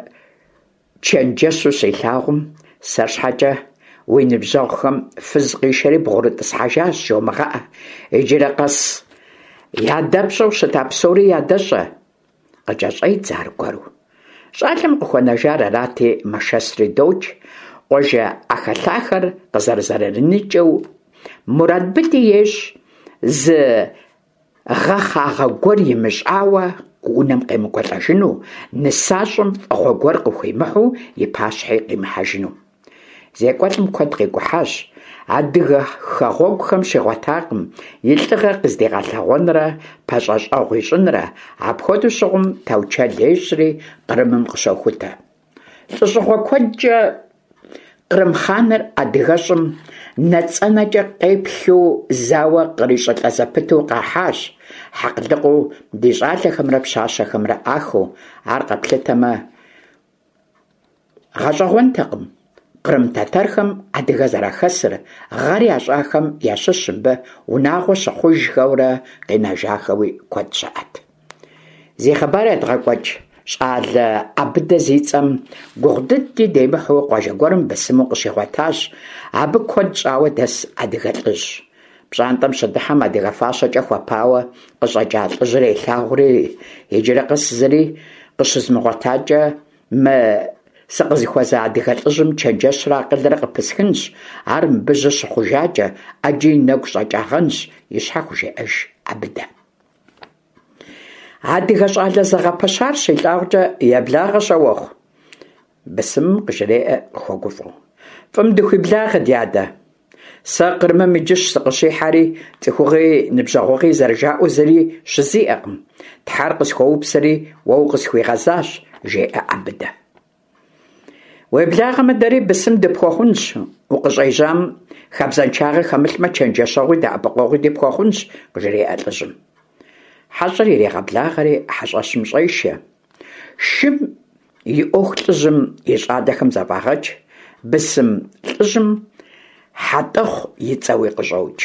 чэнджэщу щилъагъум, сэр щхьэкӏэ уи ныбжьэгъухэм фыз къишэри бгъурытӏысхьэжащ жомыгъэӏэ, иджырэ къэс ядэпщӏэу щыта псори ядэщӏэ. Къыкӏэщӏедзэ аргуэру. Щӏалэм къыхуэнэжар арати, мэшэсри докӏ, къуажэ ӏэхэлъахэр къызэрызэрыникӏыу мурад быди ещӏ, зы гъэхъагъэ гуэр имыщӏауэ унэм къемыкӏуэлӏэжыну, нысащӏэм фӏыгъуэ гуэр къыхуимыхьу и пащхьи къимыхьэжыну. Зекӏуэлӏым куэд къикӏухьащ, адыгэ хэгъуэгухэм щигъуэтакъым и лӏыгъэ къыздигъэлъэгъуэнрэ пэщӏэщӏэгъу ищӏынрэ, апхуэдэу щыгъум таучэл ещӏри Кърымым къыщохутэ. Лӏыщӏыгъуэ куэдкӏэ Кърым хъаныр адыгэщӏым нэцэнэкӏэ къеплъу зауэ кърищӏылӏэ зэпыту къахьащ, хьэкълыкъыу ди щӏалэхэмрэ пщащэхэмрэ ӏахыу, ар къэплъытэмэ, Гъэщӏэгъуэнтэкъым кърым тэтэрхэм адыгэ зэрахэсыр, гъэр ящӏахэм ящыщ мыбы унагъуэ щыхъужхэурэ къинэжахэуи куэд щыӏэт. Зи хъыбар едгъэкӏуэкӏ щӏалэ ӏэбыдэ зи цӏэм гугъу дыди демыхьу къуажэ гуэрым бысыму къыщигъуэтащ абы куэд щӏауэ дэс адыгэ лӏыжь. Пщӏантӏэм щыдыхьэм адыгэ фащэкӏэ хуэпауэ къыщӏэкӏа лӏыжьыр елъагъури, иджырэ къэс зыри къыщызмыгъуэтакӏэ Мы сыкъызыхуэза адыгэ лӏыжьым чэнджэщрэ акъылрэ къыпысхынщ, ар мыбы жьы щыхъужакӏэ, ӏэджи и нэгу щӏэкӏагъэнщ, и щхьэ хужеӏэж Ӏэбыдэ. Адыгэ щӏалэ зэгъэпэщар щилъагъукӏэ, еблагъэ, щауэхъу. Бысымым къыжреӏэ къыхуэгуфӏэу. Фӏым дыхуиблагъэ, дядэ. Сэ Кърымым иджыщ сыкъыщихьэри, цӏыхугъи ныбжьэгъугъи зэрыжаӏэу зыри щызиӏэкъым. Тхьэр къысхуэупсэри, уэ укъысхуигъэзащ, жеӏэ ӏэбыдэ. Уеблагъэмэ, дэри бысым дыпхуэхъунщ, укъыщӏежьам хабзэншагъэ хэмылъмэ, чэнджэщэгъуи дэӏэпыкъуэгъуи дыпхуэхъунщ, къыжреӏэ лӏыжьым. Хьэщӏэр ирегъэблагъэри хьэщӏэщым щӏешэ. Шым и ӏуэху лӏыжьым и щӏалэхэм зэфӏагъэкӏ, бысым лӏыжьым Хьэтӏэхъу и цӏэуи къыщӏокӏ.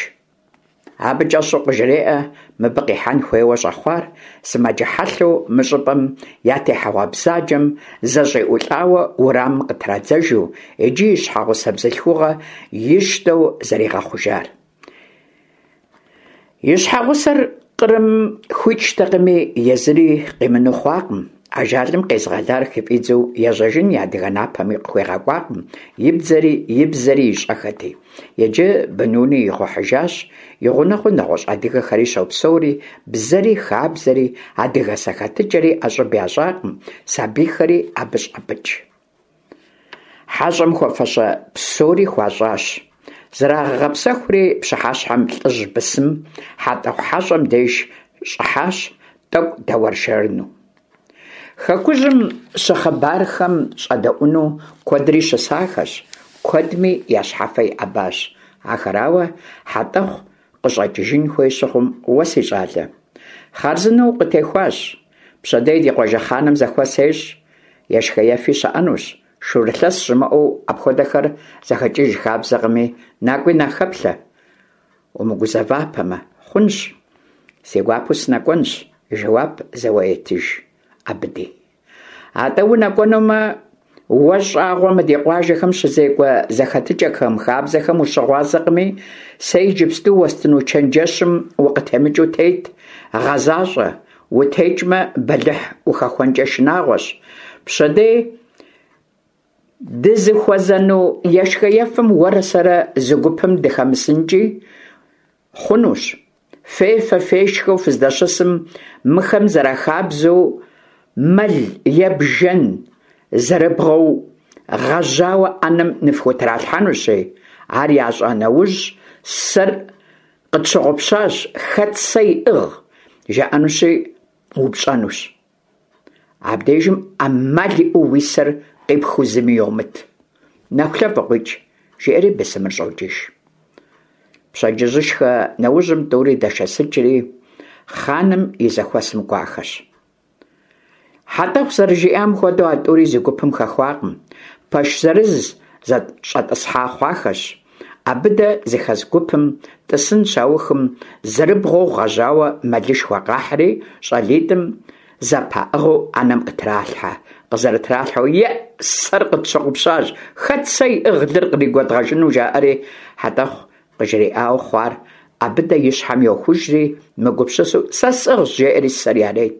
Абы кӏэщӏу къыжреӏэ мыбы къихьэн хуейуэ щӏэхъуар, сымаджэ хьэлъэу мы щӏыпӏэм я техьэгъуэ бзаджэм зэщӏиӏулӏауэ уэрамым къытрадзэжу, иджы и щхьэгъусэ бзылъхугъэ ищтэу зэригъэхъужар. И щхьэгъусэр Кърымым хуичтэкъыми, езыри къимыну хъуакъым. Ажалым къезыгъэлар хыфӏидзэу ежьэжын и адыгэ напэми къыхуегъэкӏуакъым, и бзэри и бзэри ищӏэхэти. Иджы бынуни игъухьыжащ, и гъунэгъуу нэгъуэщӏ адыгэхэри щопсэури, бзэри, хабзэри, адыгэ зэхэтыкӏэри ӏэщӏыб ящӏакъым, сабийхэри абы щӏапӏыкӏ. Хьэщӏэм хуэфэщэ псори хуащӏащ. Зрагъэгъэпсэхури, пщыхьэщхьэм лӏыжь бысым Хьэтӏэхъу хьэщӏэм деж щӏыхьащ, тӏэкӏу дэуэршэрыну. Хэкужьым щыхъыбархэм щӏэдэӏуну куэдри щысахэщ, куэдми я щхьэфэ иӏэбащ. Ахэрауэ Хьэтӏэхъу къыщӏэкӏыжын хуей щыхъум, уэ, си щӏалэ, хъарзынэу укъытехуащ. Пщэдей ди къуажэ хъаным зэхуэс ещӏ, ешхэ-ефи щыӏэнущ. Шурылъэс щымыӏэу апхуэдэхэр зэхэкӏыж хабзэкъыми, накӏуи нахэплъэ. Умыгузэвапэмэ, хъунщ, си гуапэу сынэкӏуэнщ, жэуап зэуэ етыж ӏэбыди. Атӏэ унэкӏуэнумэ, уэ щӏагъуэ мы ди къуажэхэм щызекӏуэ зэхэтыкӏэхэм, хабзэхэм ущыгъуазэкъыми, сэ иджыпсту уэстыну чэнджэщым укъытемыкӏыу тет, гъэзащӏэ, утекӏмэ, бэлыхь ухэхуэнкӏэ шынагъуэщ. Пщэдей дызыхуэзэну ешхэ-ефэм уэрэ сэрэ зы гупым дыхэмысынкӏи хъунущ. Фефэ-фешхэу фыздэщысым, мыхэм зэрахабзэу мэл е бжэн зэрыбгъэу гъэжьауэ ӏэнэм ныфхутралъхьэнущи, ар ящӏа нэужь, сэр къытщыгъупщащ, хэт сэ иӏыгъ? жаӏэнущи, упщӏэнущ. Абдежым ӏэмал иӏэу уи сэр къипхыу зыми йомыт. Нэхулъэфӏ къуикӏ, жеӏэри бысымыр щӏокӏыж. Пщэдджыжьышхэ нэужьым тӏури дэшэсыкӏри, хъаным и зэхуэсым кӏуахэщ. Хьэтӏэхъу зэрыжиӏам хуэдэу а тӏури зы гупым хэхуакъым, пэш зырыз зэщӏэтӏысхьа хъуахэщ. ӏэбыдэ зыхэс гупым тӏысын щаухым, зэрыбгъэу гъэжьауэ мэлышхуэ къахьри, щӏалитӏым зэпаӏыгъыу ӏэнэм къытралъхьэ. Къызэрытралъхьэу, Еӏ, сэр къытщыгъупщащ, хэт сэ иӏыгъ лыр къригуэдгъэжыну, жаӏэри Хьэтӏэхъу къыжриӏауэ хъуар ӏэбыдэ и щхьэм йохужри, мыгупсысэу, сэ сӏыгъщ, жеӏэри сэр ярет.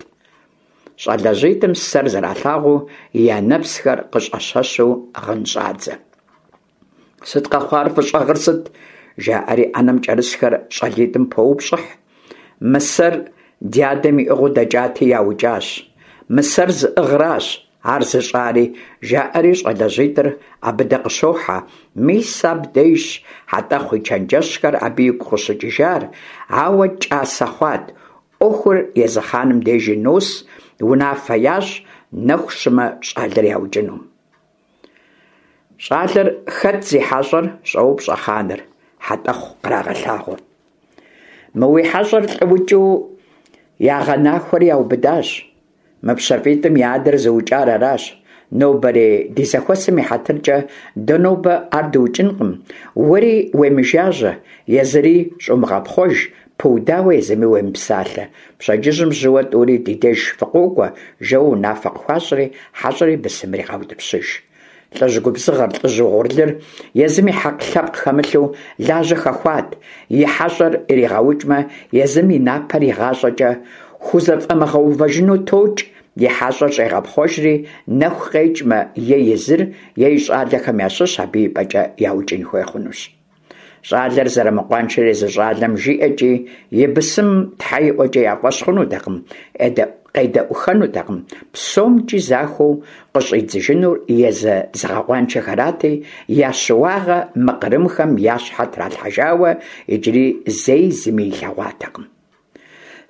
Щӏалэжьитӏым сэр зэралъагъуу, я нэпсхэр къыщӏэщэщу гъын щӏадзэ. Сыт къэхъуар, фыщӏэгъыр сыт? жаӏэри ӏэнэм кӏэрысхэр щӏалитӏым поупщӏыхь. Мы сэр ди адэм иӏыгъыу дэкӏати, яукӏащ. Мы сэр зыӏыгъращ ар зыщӏари, жаӏэри щӏалэжьитӏыр Ӏэбыдэ къыщохьэ. Мис абдежщ Хьэтӏэхъу и чэнджэщхэр абы игу къыщыкӏыжар, ауэ кӏасэ хъуат. ӏуэхур езы хъаным дежи нос, унафэ ящӏ, нэху щымэ щӏалэр яукӏыну. Щӏалэр хэт зи хьэщӏэр? щӏоупщӏэ хъаныр, Хьэтӏэхъу кърагъэлъагъуу. Мы уи хьэщӏэр лӏыукӏыу ягъэнахуэри яубыдащ. Мы пщафӏитӏым я адэр зыукӏар аращ. Нобэрей ди зэхуэсым и хьэтыркӏэ дэ нобэ ар дыукӏынкъым, уэри уемыжажьэ, езыри щӏумыгъэпхъуэж, пыудауэ езыми уемыпсалъэ. Пщэдджыжьым жьыуэ тӏури ди деж фыкъокӏуэ, жэуэ унафэ къыхуащӏри, хьэщӏэри бысымри къаутӏыпщыж. Лӏыжь губзыгъэр, лӏыжь угъурлыр езым и хьэкъ лъэпкъ хэмылъу лажьэ хэхуат, и хьэщӏэр иригъэукӏмэ, езым и напэр игъащӏэкӏэ хузэфӏэмыгъэувэжыну токӏ, и хьэщӏэр щӏегъэпхъуэжри, нэху къекӏмэ, е езыр, е и щӏалэхэм ящыщ абы и пӏэкӏэ яукӏын хуей хъунущ. Щӏалэр зэрымыкъуаншэр езы щӏалэм жиӏэкӏи, и бысымым тхьэ иӏуэкӏэ я фӏэщ хъунутэкъым, къедэӏухэнутэкъым, псомкӏи захуэу къыщӏидзыжынур езы зыгъэкъуаншэхэрати, я щыуагъэ мы кърымхэм я щхьэ тралъхьэжауэ иджыри зэи зыми илъэгъуатэкъым.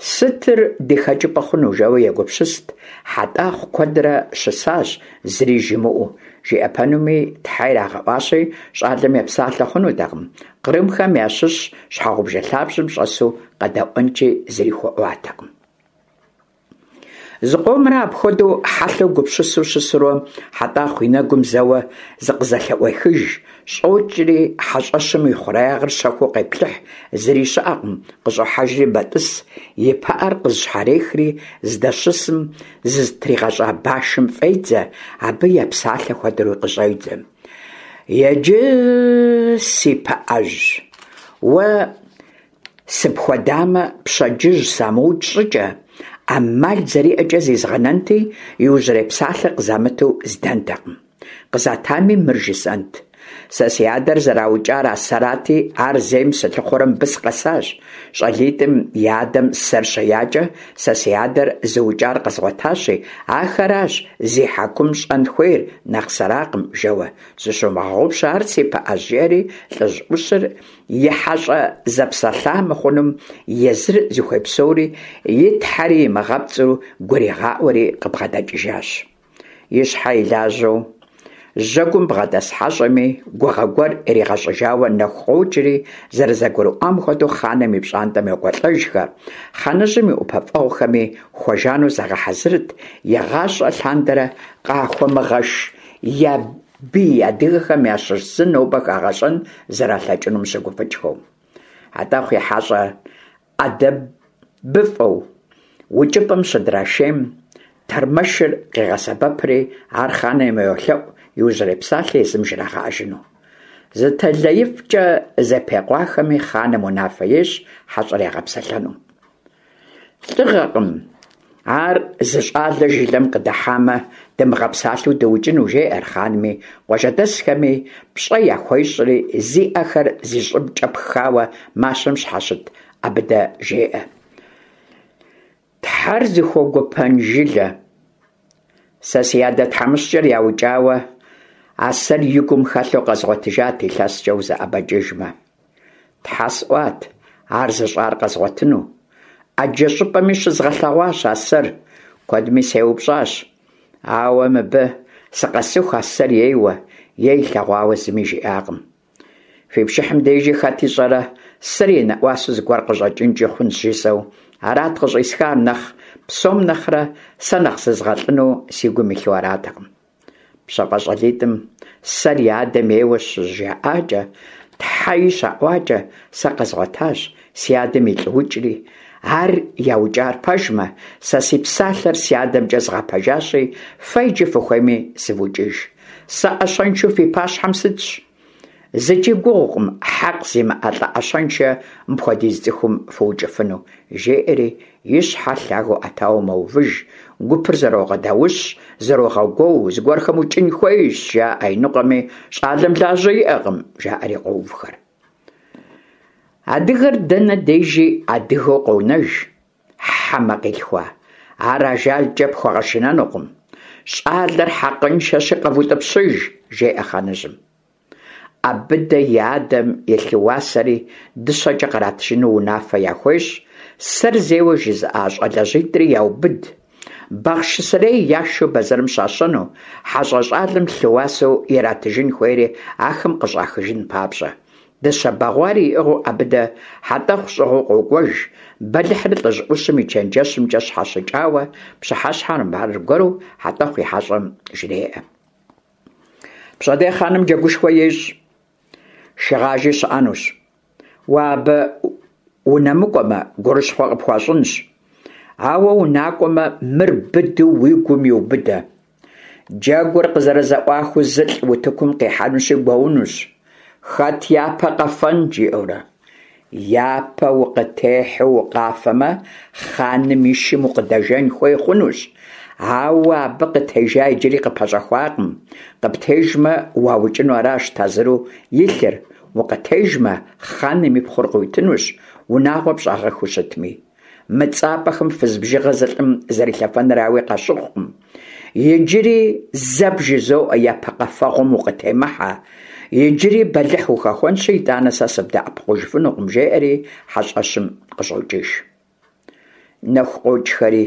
Сытыр ди хэкӏыпӏэ хъуну, жэуэ егупсыст, Хьэтӏахъу куэдрэ щысащ, зыри жимыӏэу. Жиӏэпэнуми, тхьэ ирагъэӏуащи, щӏалэм епсалъэ хъунутэкъым, кърымхэм ящыщ щхьэгъубжэ лъабжьэм щӏэсу къэдэӏуэнкӏи зыри хуэӏуатэкъым. Зыкъомрэ апхуэдэу хьэлъэу гупсысэу щысурэ, Хьэтӏахъу и нэгум зэуэ зыкъызэлъыӏуехыж, щӏокӏри хьэщӏэщым и хъуреягъыр щэхуу къеплъыхь, зыри щыӏэкъым, къыщӏохьэжри мэтӏыс, и пыӏэр къызыщхьэрехри, здэщысым зызытригъэщӏа башым фӏедзэ, абы епсалъэ хуэдэуи къыщӏедзэ. Иджы, си пыӏэжь, уэ Сыпхуэдамэ, пщэдджыжь самыукӏ щӏыкӏэ, ӏэмал зэриӏэкӏэ зизгъэнэнти, иужьрей псалъэ къызамыту здэнтэкъым. Къызатами, мыр жысӏэнт. Сэ си адэр зэраукӏар а сэрати, ар зейм сылъыхъуэрэ мыбы сыкъэсащ. Щӏалитӏым я адэм сэр щеякӏэ, сэ си адэр зыукӏар къэзгъуэтащи, ахэращ зи хьэкум щӏэн хуейр, нэхъ сэракъым, жэуэ. Зыщумыгъэгъупщэ ар, си пыӏэжь, жиӏэри лӏыжь ӏущыр и хьэщӏэ зэпсэлъа мыхъунум езыр зыхуей псори, и тхьэри имыгъэпцӏу гуригъаӏуэри къыбгъэдэкӏыжащ. И щхьэ и лажьэу жьэгум бгъэдэс хьэщӏэми гугъэ гуэр иригъэщӏыжауэ нэху къокӏри, зэрызэгурыӏуам хуэдэу хъаным и пщӏантӏэм йокӏуэлӏэжхэ. Хъаныжьым и ӏупэфӏэгъухэми хуэжану загъэхьэзырт, игъащӏэ лъандэрэ къахуэмыгъэш я бий адыгэхэм ящыщ зы нобэ хагъэщӏэн зэралъэкӏынум щыгуфӏыкӏхэу. Хьэтӏэхъу и хьэщӏэр ӏэдэбыфӏэу укӏыпӏэм щыдрашейм, тэрмэшыр къегъэсэбэпри, ар хъаным йолъэӏу иужьрей псалъэ езым жрагъэӏэжыну. Зы тэлаифӏкӏэ зэпекъуахэми, хъаным унафэ ещӏ хьэщӏэр ягъэпсэлъэну. Лӏыгъэкъым ар зы щӏалэ жылэм къыдыхьамэ, дымыгъэпсалъэу дыукӏыну, жеӏэр хъанми, къуажэдэсхэми пщӏэ яхуещӏри, зи ӏэхэр зи щӏыбкӏэ пхауэ мащэм щхьэщыт Ӏэбыдэ жеӏэ. Тхьэр зыхуэгуэпэн жылэ. Сэ си адэ тхьэмыщкӏэр яукӏауэ, а сэр и гум хэлъу къэзгъуэтыжат илъэскӏэ узэӏэбэкӏыжмэ. Тхьэ сӏуат ар зыщӏар къэзгъуэтыну. ӏэджэ щӏыпӏэми щызгъэлъэгъуащ а сэр, куэдми сеупщӏащ. Ауэ мыбы сыкъэсыху а сэр ейуэ е илъэгъуауэ зыми жиӏакъым. Фи пшыхьым дежи хэт ищӏэрэ, сэр и нэӏуасэу зыгуэр къыщӏэкӏынкӏи хъунщ жысӏэу, арат къыщӏисхар нэхъ псом нэхърэ сэ нэхъ зызгъэлӏыну си гум илъу аратэкъым. Пщэфӏэ щӏалитӏым сэр я адэм ейуэ щыжаӏакӏэ, тхьэи щаӏуакӏэ, сэ къэзгъуэтащ си адэм и лӏыукӏри, ар яукӏар пэжмэ, сэ си псалъэр си адэмкӏэ згъэпэжащи, фэ иджы фыхуейми сывукӏыж. Сэ ӏэщэншэу фи пащхьэм сытщ. Зыкӏи гугъукъым хьэкъ зимыӏэ лӏы ӏэщэншэ мыпхуэдиз цӏыхум фыукӏыфыну, жеӏэри и щхьэр лъагэу ӏэтауэ мэувыж, гупыр зэрогъэдаущ, зэрогъэгуоу, зыгуэрхэм укӏын хуейщ, жаӏэ, иныкъуэми щӏалэм лажьэ иӏэкъым, жаӏэри къоувхэр. Адыгэр дэнэ дежи адыгэу къонэж, хьэмэ къилъхуа, ар ажалкӏэ пхуэгъэшынэнукъым. Щӏалэр хьэкъыншэщи къэвутӏыпщыж, жеӏэ хъаныжьым. ӏэбыдэ и адэм и лъыуасэри дыщэкӏэ къратыжыну унафэ яхуещӏ, сэр зейуэ жызыӏа щӏалэжьитӏри яубыд. Бахъшысэрей яшэу бэзэрым щащэну, хьэщӏэ щӏалэм лъыуасэу иратыжын хуейри ахэм къыщӏахыжын папщӏэ. Дыщэ бэгъуари иӏыгъыу ӏэбыдэ Хьэтӏэхъу щӏыгъуу къокӏуэж, бэлыхьыр лӏыжь ӏущым и чэнджэщымкӏэ щхьэщыкӏауэ, пщыхьэщхьэм аргуэру Хьэтӏэхъу и хьэщӏэм жреӏэ. Пщэдей хъаным джэгушхуэ ещӏ, шыгъажи щыӏэнущ. Уэ абы унэмыкӏуэмэ, гурыщхъуэ къыпхуащӏынщ. Ауэ унакӏуэмэ, мыр быдэу уи гум иубыдэ. Джэгур къызэрызэӏуахыу зылӏ утыкум къихьэнущи гуэунущ. Хэт япэ къэфэн, жиӏэурэ. Япэ укъытехьэу укъафэмэ, хъаным и шым укъыдэжэн хуей хъунущ. Ауэ абы къытежа иджыри къыпэщӏэхуакъым. Къыптежмэ, уаукӏыну аращ тазыру илъыр, укъытежмэ, хъаным и пхъур къыуитынущ, унагъуэ пщӏагъэххэу щытми. Мы цӏапӏэхэм фыз бжыгъэ зы лӏым зэрилъэфэныр ауи къащыхъукъым. Иджыри зэ бжызоӏэ, япэ къэфэгъуэм укъытемыхьэ. Иджыри бэлыхь ухэхуэнщи, итӏанэ сэ сыбдэӏэпыкъужыфынукъым, жеӏэри хьэщӏэщым къыщӏокӏыж. Нэху къокӏхэри,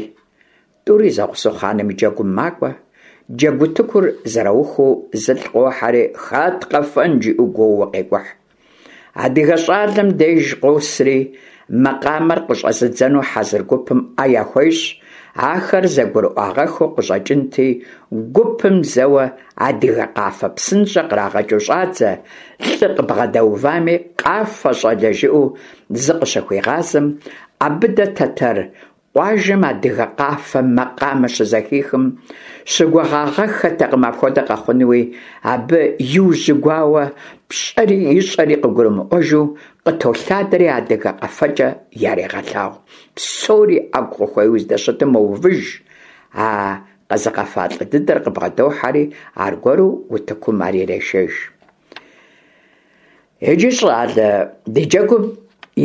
тӏури зэгъусэу хъаным и джэгум макӏуэ. Джэгутыкур зэраухыу зылӏ къохьэри, хэт къэфэн, жиӏэу гуоууэ къекӏухь. Адыгэ щӏалэм деж къосри, макъамэр къыщӏэзыдзэну хьэзыр гупым ӏэ яхуещӏ, ахэр зэгурыӏуагъэххэу къыщӏэкӏынти, гупым зэуэ адыгэ къафэ псынщӏэ кърагъэкӏыу щӏадзэ, лӏы къыбгъэдэувами, къафэ щӏалэ жиӏэу зыкъыщыхуигъазэм, ӏэбыдэ тэтэр Къуажэм адыгэ къафэ макъамэ щызэхихым, щыгугъагъэххэтэкъым апхуэдэ къэхъунуи, абы иужьыгуауэ, пщӏэри ищӏэри къыгурымыӏуэжу, къытолъадэри адыгэ къэфэкӏэ ярегъэлъагъу. Псори ӏэгу къыхуеуэу здэщытым мэувыж, а къэзыгъэфа лӏы дыдэр къыбгъэдохьэри, аргуэру утыкум ар ирешэж. Иджы, щӏалэ, ди джэгум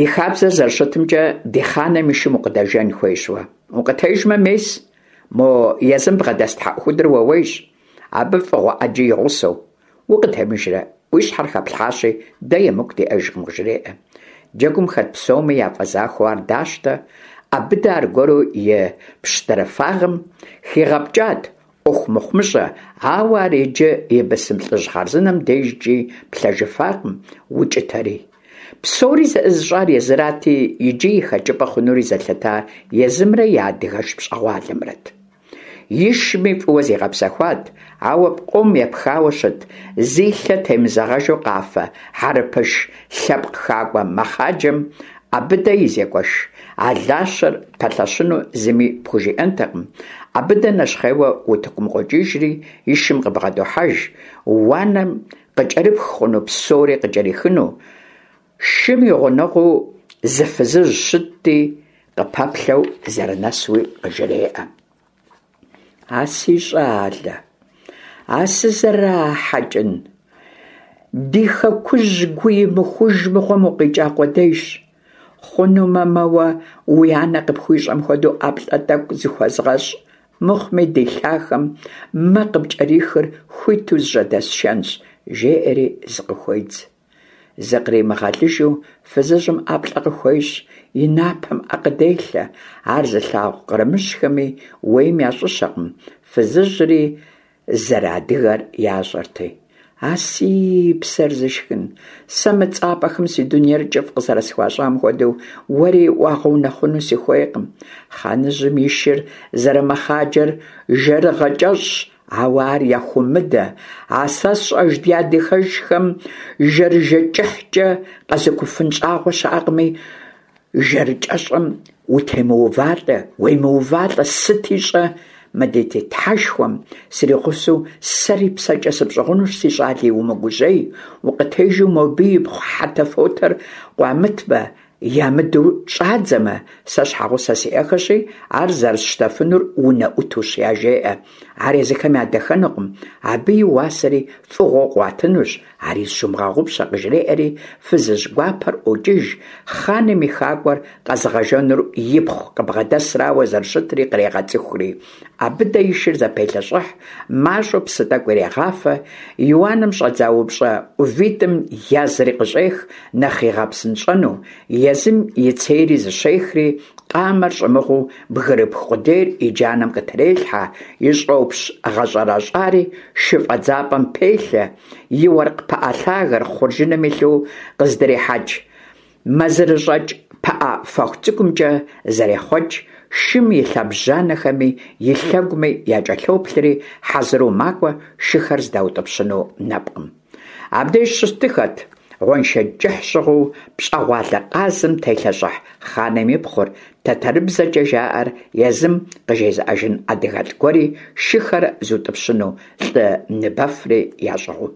и хабзэр зэрыщытымкӏэ, ди хъаным и шым укъыдэжэн хуейщ уэ. Укъытежмэ, мес, мо езым бгъэдэс тхьэӏухудыр уэуейщ, абы фӏыгъуэ ӏэджи и гъусэу. Укъытемыжрэ, уи щхьэр хэплъхьащи, дэ емыкӏу диӏэжкъым, къыжреӏэ. Джэгум хэт псоми яфӏэзахуэу ар дащтэ, ӏэбыдэ аргуэру и пщтырыфагъым хигъэпкӏат ӏуэху мыхъумыщӏэ, ауэ ар иджы и бысым лӏыжь хъарзынэм дежкӏи плъэжыфакъым, укӏытэри. Псори зэӏызыщӏар езырати, иджы и хэкӏыпӏэ хъунури зэлъытар езымрэ и адыгэш пщӏэгъуалэмрэт. Ишми фӏыуэ зигъэпсэхуат, ауэ пкъом епхауэ щыт, зи лъэ темызэгъэжу къафэ хьэрыпыш лъэпкъ хакӏуэ мэхъаджэм ӏэбыдэ и зекӏуэш алащэр пэлъэщыну зыми пхужиӏэнтэкъым. ӏэбыдэ нэщхъейуэ утыкум къокӏыжри, и шым къыбгъэдохьэж, уанэм къыкӏэрыпх хъуну псори къыкӏэрихыну. Шым и гъунэгъуу зы фызыжь щытти, къыпэплъэу зэрынэсуи къыжреӏэ. А си щӏалэ, а сызэрахьэкӏын, ди хэкужь гу имыхуж мыгъуэм укъикӏа къудейщ. Хъунумэ, мэуэ уи анэ къыпхуищӏэм хуэдэу ӏэплӏэ тӏэкӏу зыхуэзгъэщӏ, мыхъуми ди лъахэм мэ къыпкӏэрихыр хуиту зыжьэдэсшэнщ, жеӏэри зыкъыхуедз. Зыкъримыгъэлыжу фызыжьым ӏэплӏэ къыхуещӏ, и напэм ӏэ къыделъэ. Ар зылъагъу кърымыжьхэми уейм ящӏыщэкъым, фызыжьри зэрыадыгэр ящӏэрти. А си псэр зышхын, сэ мы цӏапӏэхэм си дунейр кӏыфӏ къызэрысхуащӏам хуэдэу уэри уагъэунэхъуну сыхуейкъым. Хъаныжьым и шыр зэрымэхъаджэр жэрыгъэ кӏэщӏщ, Ауэ ар яхуумыдэ, а сэ сщӏэж ди адыгэшхэм жэрыжэ кӏыхькӏэ къэзыкӏуфын щӏагъуэ щыӏэкъыми, жэрыкӏэщӏым утемыувалӏэ, уемыувалӏэ, сыти щӏэ, мы ди Тхьэшхуэм сригъусэу сэри псэкӏэ сыпщӏыгъунущ, си щӏали, умыгужьей, укъытежу мобы ипхъу хьэтэфотэр къуамытмэ, Ямыдэу щӏадзэмэ, сэ щхьэгъусэ сиӏэхэщи, ар зэрысщтэфынур унэӏутущ, яжеӏэ. Ар езыхэм ядэхэнукъым, абы и уасэри фӏыгъуэу къуатынущ, ари зыщумыгъэгъупщэ, къыжреӏэри, фызыжь гуапэр ӏуокӏыж, хъаным и хакӏуэр къэзыгъэжэнур ипхъу къыбгъэдэсрауэ зэрыщытри кърегъэцӏыхури. ӏэбыдэ и шыр зэпелъэщӏыхь, мащӏэу псы тӏэкӏу ирегъафэ, и уанэм щӏэдза упщӏэ ӏувитӏым язри къыщӏех, нэхъ игъэпсынщӏэну, езым и цейри зыщехри, къамэр щӏымыгъуу бгырыпх къудейр и джанэм къытрелъхьэ, и щӏопщ гъэщӏэрэщӏари шы фӏэдзапӏэм пелъэ, и уэркъ пыӏэ лъагэр хъуржыным илъу къыздрихьэкӏ Мэзырыщӏэкӏ пыӏэ фэху цӏыкӏумкӏэ зэрехъуэкӏ, шым и лъэбжьанэхэми и лъэгуми якӏэлъоплъри, хьэзыру макӏуэ шыхэр здаутӏыпщыну нэпкъым. Абдеж щыстыхэт гъуэншэдж кӏыхь щыгъыу пщӏэгъуалэ къазым телъэщӏыхь хъаным и пхъур, тэтэрыбзэкӏэ жаӏэр езым къыжезыӏэжын адыгэлӏ гуэри шыхэр зутӏыпщыну лӏы ныбэфри ящӏыгъуу.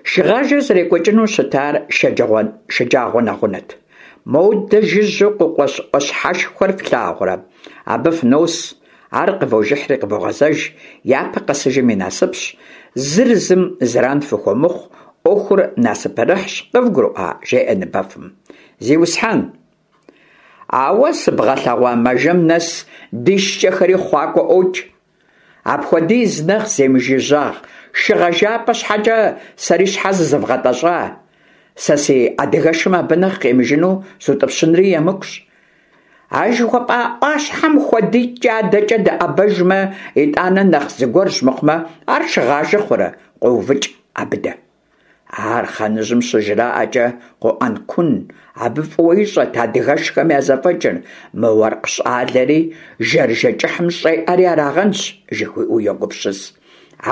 Шыгъажэр зэрекӏуэкӏыну щытар шэджагъуэ нэгъунэт. Модэ жыжьэу къыкъуэщ ӏуащхьэшхуэр флъагъурэ? Абы фынос, ар къывожыхьри къывогъэзэж, япэ къэсыжым и насыпщ, зыр зым зэран фыхуэмыхъу, ӏуэхур насыпырыхьщ, къывгурыӏуа? жеӏэ ныбэфым. Зиусхьэн! А уэ сыбгъэлъэгъуа мажэм нэс ди шкӏэхэри хъуакӏуэ ӏуокӏ. Апхуэдиз нэхъ земыжыжьагъ шыгъэжапӏэ щхьэкӏэ сэри щхьэ зызывгъэтӏэщӏа? Сэ си адыгэшым абы нэхъ къимыжыну сутӏыпщынри емыкӏущ. А жыхуэпӏа ӏуащхьэм хуэдитӏкӏэ адэкӏэ дыӏэбэжмэ, итӏанэ нэхъ зыгуэрщ мыхъумэ, ар шыгъажэ хъурэ? къоувыкӏ Абыдэ. Ар хъаныжьым щыжраӏэкӏэ къоӏэнкун, абы фӏыуэ ищӏэт адыгэшхэм я зэфӏэкӏыр, мы уэркъ щӏалэри жэрыжэ кӏыхьым щӏеӏэри арагъэнщ, жыхуиӏэу йогупсыс.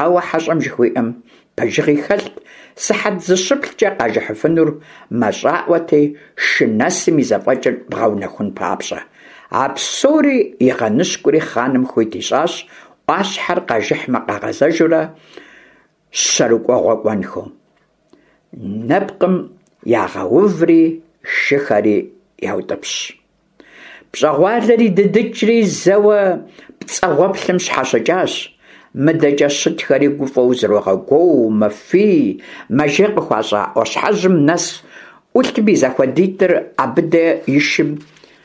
Ауэ хьэщӏэм жыхуиӏэм пэжыгъи хэлът, сыхьэт зыщыплӏкӏэ къажыхьыфынур мащӏаӏуэти, шы нэсым и зэфӏэкӏыр бгъэунэхун папщӏэ. А псори игъэныщкӏури хъаным хуит ищӏащ, ӏуащхьэр къажыхьмэ къагъэзэжурэ, щэрыкӏуэгъуэ кӏуэнхэу. Нэпкъым ягъэуври, шыхэри яутӏыпщ. Пщӏэгъуалэр идыдыкӏри, зэуэ пцӏэгъуэплъым щхьэщыкӏащ. Мыдэкӏэ щытхэри гуфӏэу зрогъэгуоу, мэфий, мэжей къыхуащӏа ӏуащхьэжьым нэс ӏулъым и зэхуэдитӏыр Абыдэ и шым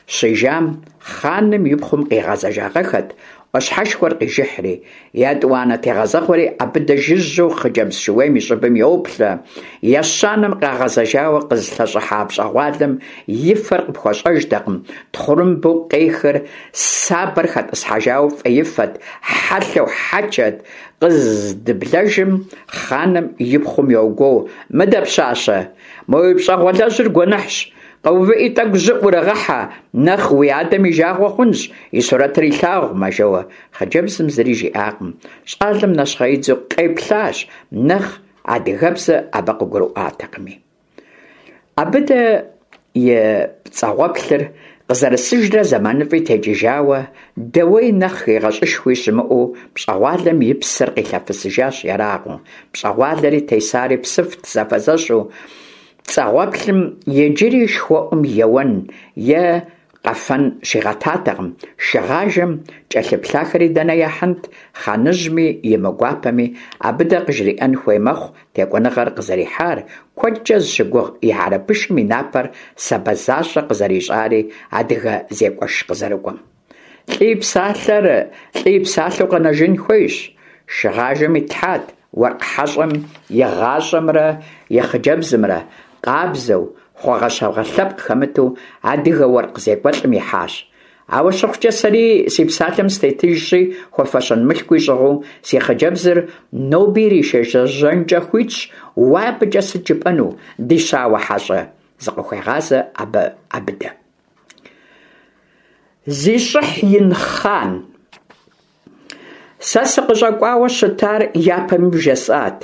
щижам, хъаным и пхъум къигъэзэжагъэххэт, ӏуащхьэшхуэр къижыхьри. Етӏуанэ тегъэзэгъуэри Абыдэ жыжьэу хъыджэбз шууейм и щӏыбым йоплъэ. Ещанэм къагъэзэжауэ къызылъэщӏыхьа пщӏэгъуалэм и фэр къыпхуэщӏэжтэкъым, тхъурымбэу къехыр сабэр хэтӏысхьэжауэ фӏеифэт, хьэлъэу хьэчэт. Къыздыблэжым хъаным и пхъум йогуоу: Мыдэ, пщащэ, мы уи пщӏэгъуалэжьыр гуэныхьщ, къэувыӏи тӏэкӏу жьы ӏурыгъэхьэ, нэхъ уи адэм и жагъуэ хъунщ, и сурэтыр илъагъумэ, жэуэ. Хъыджэбзым зыри жиӏакъым. Щӏалэм нэщхъеидзэу къеплъащ, нэхъ адыгэбзэ абы къыгурыӏуатэкъыми. Абыдэ и пцӏэгъуэплъыр къызэрысыжрэ зэманыфӏи текӏыжауэ, дэуей нэхъ хигъэщӏышхуи щымыӏэу пщӏэгъуалэм и псэр къилъэфысыжащ ерагъыу. Пщӏэгъуалэри тесари псыфт зэфэзэщу, пцӏэгъуэплъым иджыри шхуэӏум еуэн е къэфэн щигъэтатэкъым, шыгъажэм кӏэлъыплъахэри дэнэ яхьынт, хъаныжьми и мыгуапэми Абыдэ къыжриӏэн хуей мэхъу текӏуэныгъэр къызэрихьар, куэдкӏэ зыщыгугъ и хьэрыпышым и напэр сабэ защӏэ къызэрищӏари адыгэ зекӏуэш къызэрыкӏуэм. Лӏы и псалъэр лӏы и псалъэу къэнэжын хуейщ. Шыгъажэм итлъхьат уэркъ хьэщӏэм и гъащӏэмрэ и хъыджэбзымрэ, къабзэу, хъуэгъэщагъэ лъэпкъ хэмыту адыгэ уэркъ зекӏуэлӏым ихьащ. Ауэ щыхъукӏэ сэри си псалъэм сытетыжщи, хуэфэщэн мылъкуи щӏыгъуу си хъыджэбзыр ноби иришэжьэнкӏэ хуитщ, уэ абыкӏэ сыт жыпӏэну, ди щауэ хьэщӏэ? зыкъыхуегъазэ абы Абыдэ. Зи щӏыхь ин хъан! Сэ сыкъыщӏэкӏуауэ щытар япэми бжесӏат.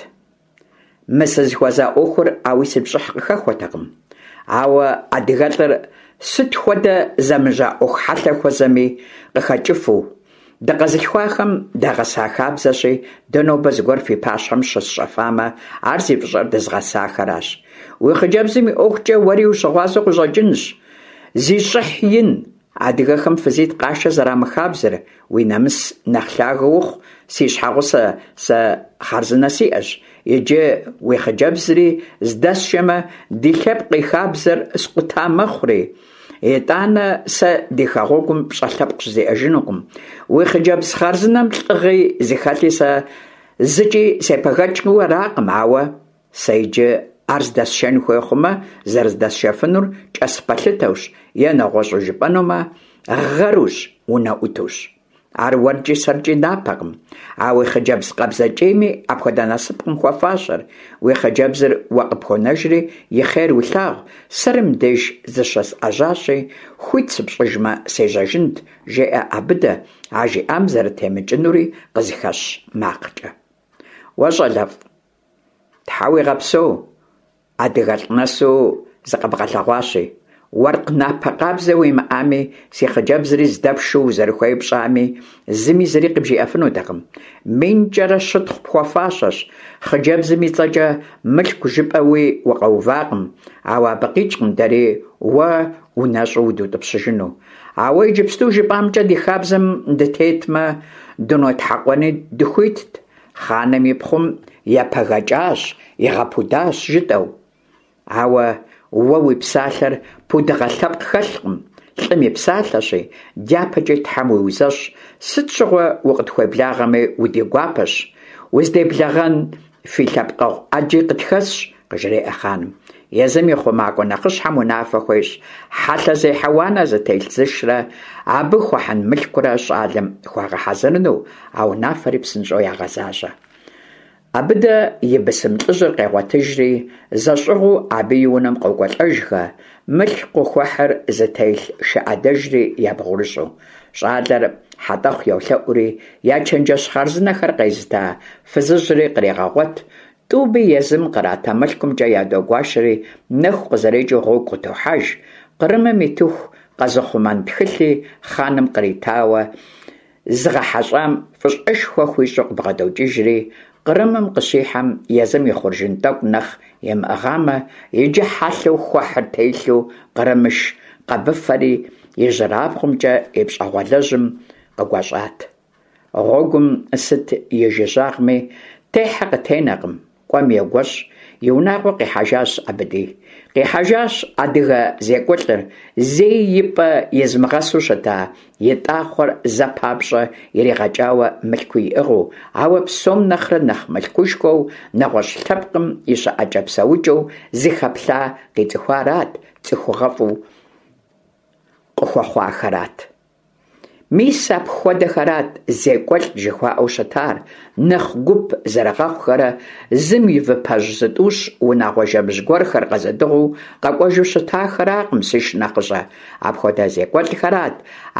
Мы сызыхуэза ӏуэхур ауи си пщӏыхь къыхэхуэтэкъым. Ауэ адыгэлӏыр сыт хуэдэ зэмыжьа ӏуэху хьэлъэ хуэзэми къыхэкӏыфу, дыкъэзылъхуахэм дагъэса хабзэщи, дэ нобэ зыгуэр фи пащхьэм щысщӏэфамэ, ар зи фӏыщӏэр дызыгъэсахэращ. Уи хъыджэбзым и ӏуэхукӏэ уэри ущыгъуазэу къыщӏэкӏынщ. Зи щӏыхь ин, Адыгэхэм фызитӏ къашэ зэрамыхабзэр, уи нэмыс нэхъ лъагэ ухъу, си щхьэгъусэ сэ хъарзынэ сиӏэщ, иджы уи хъыджэбзри здэсшэмэ, ди лъэпкъ и хабзэр скъута мэхъури, итӏанэ сэ ди хэгъуэгум пщӏэ лъэпкъ щызиӏэжынукъым. Уи хъыджэбз хъарзынэм лӏыгъи зыхэлъи сэ зыкӏи сепэгэкӏыу аракъым, ауэ Сэ иджы ар здэсшэн хуей хъумэ, зэрыздэсшэфынур кӏэс пэлъытэущ е нэгъуэщӏу жыпӏэнумэ, гъэрущ, унэӏутущ. Ар уэркӏи сэркӏи напэкъым. А уи хъыджэбз къабзэкӏейми апхуэдэ насыпкъым хуэфащэр. Уи хъыджэбзыр уэ къыпхуонэжри, и хъер улъагъу, сэри мыбдеж зыщысӏэжьащи, хуит сыпщӏыжмэ, сежьэжынт, жеӏэ Абыдэ, а жиӏам зэрытемыкӏынури къызыхэщ макъкӏэ. Уэ, щӏалэфӏ, Тхьэ уигъэпсэу, адыгэлӏ нэсу зыкъэбгъэлъэгъуащи, уэркъ напэ къабзэ уимыӏами, си хъыджэбзри здэпшэу узэрыхуейр пщӏами, зыми зыри къыбжиӏэфынутэкъым. Минкӏэрэ щытхъу пхуэфащэщ, хъыджэбзым и цӏэкӏэ мылъку жыпӏэуи укъэувакъым, ауэ абы къикӏкъым дэри уэ унэщӏу удутӏыпщыжыну. Ауэ иджыпсту жыпӏамкӏэ ди хабзэм дытетмэ, дынотхьэкъуэни дыхуитт. Хъаным и пхъум епэгэкӏащ, игъэпудащ, жытӏэу. Ауэ уэ уи псалъэр пудыгъэ лъэпкъ хэлъкъым, лӏым и псалъэщи, дяпэкӏи Тхьэм уиузэщӏ, сыт щыгъуэ укъытхуеблагъэми удигуапэщ, уздеблэгъэн фи лъэпкъэгъу ӏэджи къытхэсщ, къыжреӏэ хъаным. Езым и хъумакӏуэ нэхъыщхьэм унафэ хуещӏ, хьэлъэзехьэ уанэ зытелъ зышрэ абы хуэхьын мылъкурэ щӏалэм хуагъэхьэзырыну, а унафэри псынщӏэу ягъэзащӏэ. Абыдэ и бысым лӏыжьыр къегъуэтыжри, зэщӏыгъуу абы и унэм къокӏуэлӏэжхэ, мылъку къыхуэхьыр зытелъ шы ӏэдэжри ябгъурыщӏу. Щӏалэр Хьэтӏэхъу йолъэӏури, я чэнджэщ хъарзынэхэр къезыта фызыжьри кърегъэгъуэт, Тӏуми езым кърата мылъкумкӏэ ядогуашэри, нэху къызэрекӏыу гъуэгу къытохьэж, Кърымым итыху къэзыхъумэн тхылъи хъаным къритауэ, зыгъэхьэщӏам фӏыщӏэшхуэ хуищӏу къыбгъэдокӏыжри, Кърымым къыщихьэм езым и хъуржын тӏэкӏу нэхъ имыӏыгъамэ, иджы хьэлъэу хуэхьыр телъу кърымыш къэбыфэри ижьырабгъумкӏэ и пщӏэгъуалэжьым къыгуэщӏат. Гъуэгум сыт и жыжьагъми, техьэ къытенэкъым, кӏуэм егуэщӏ, и унагъуэ къихьэжащ Абыди. Къихьэжащ адыгэ зекӏуэлӏыр, зэи и пӏэ изымыгъэсу щыта и тӏахъуэр зэ папщӏэ иригъэкӏауэ мылъкуи иӏыгъыу, ауэ псом нэхърэ нэхъ мылъкушхуэу нэгъуэщӏ лъэпкъым и щыӏэкӏэ-псэукӏэу зыхэплъа къицӏыхуарат, цӏыхугъэфӏу къыхуэхъуахэрат. Мис апхуэдэхэрат зекӏуэлӏ жыхуаӏэу щытар, нэхъ гуп зэрыгъэхъухэрэ зым и выпэжь зытӏущ унагъуэ жэмыжь гуэрхэр къэзыдыгъуу къэкӏуэжу щытахэракъым, си шынэхъыщӏэ. Апхуэдэ зекӏуэлӏхэрат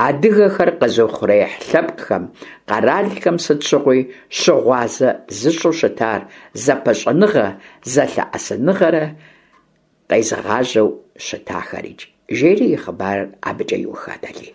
адыгэхэр къэзыухъуреихь лъэпкъхэм, къэралхэм сыт щыгъуи щыгъуазэ зыщӏу щытар, зэпыщӏэныгъэ, зэлъэӏэсыныгъэрэ къезыгъажьэу щытахэрикӏ, жери и хъыбарыр абыкӏэ иухат Алий.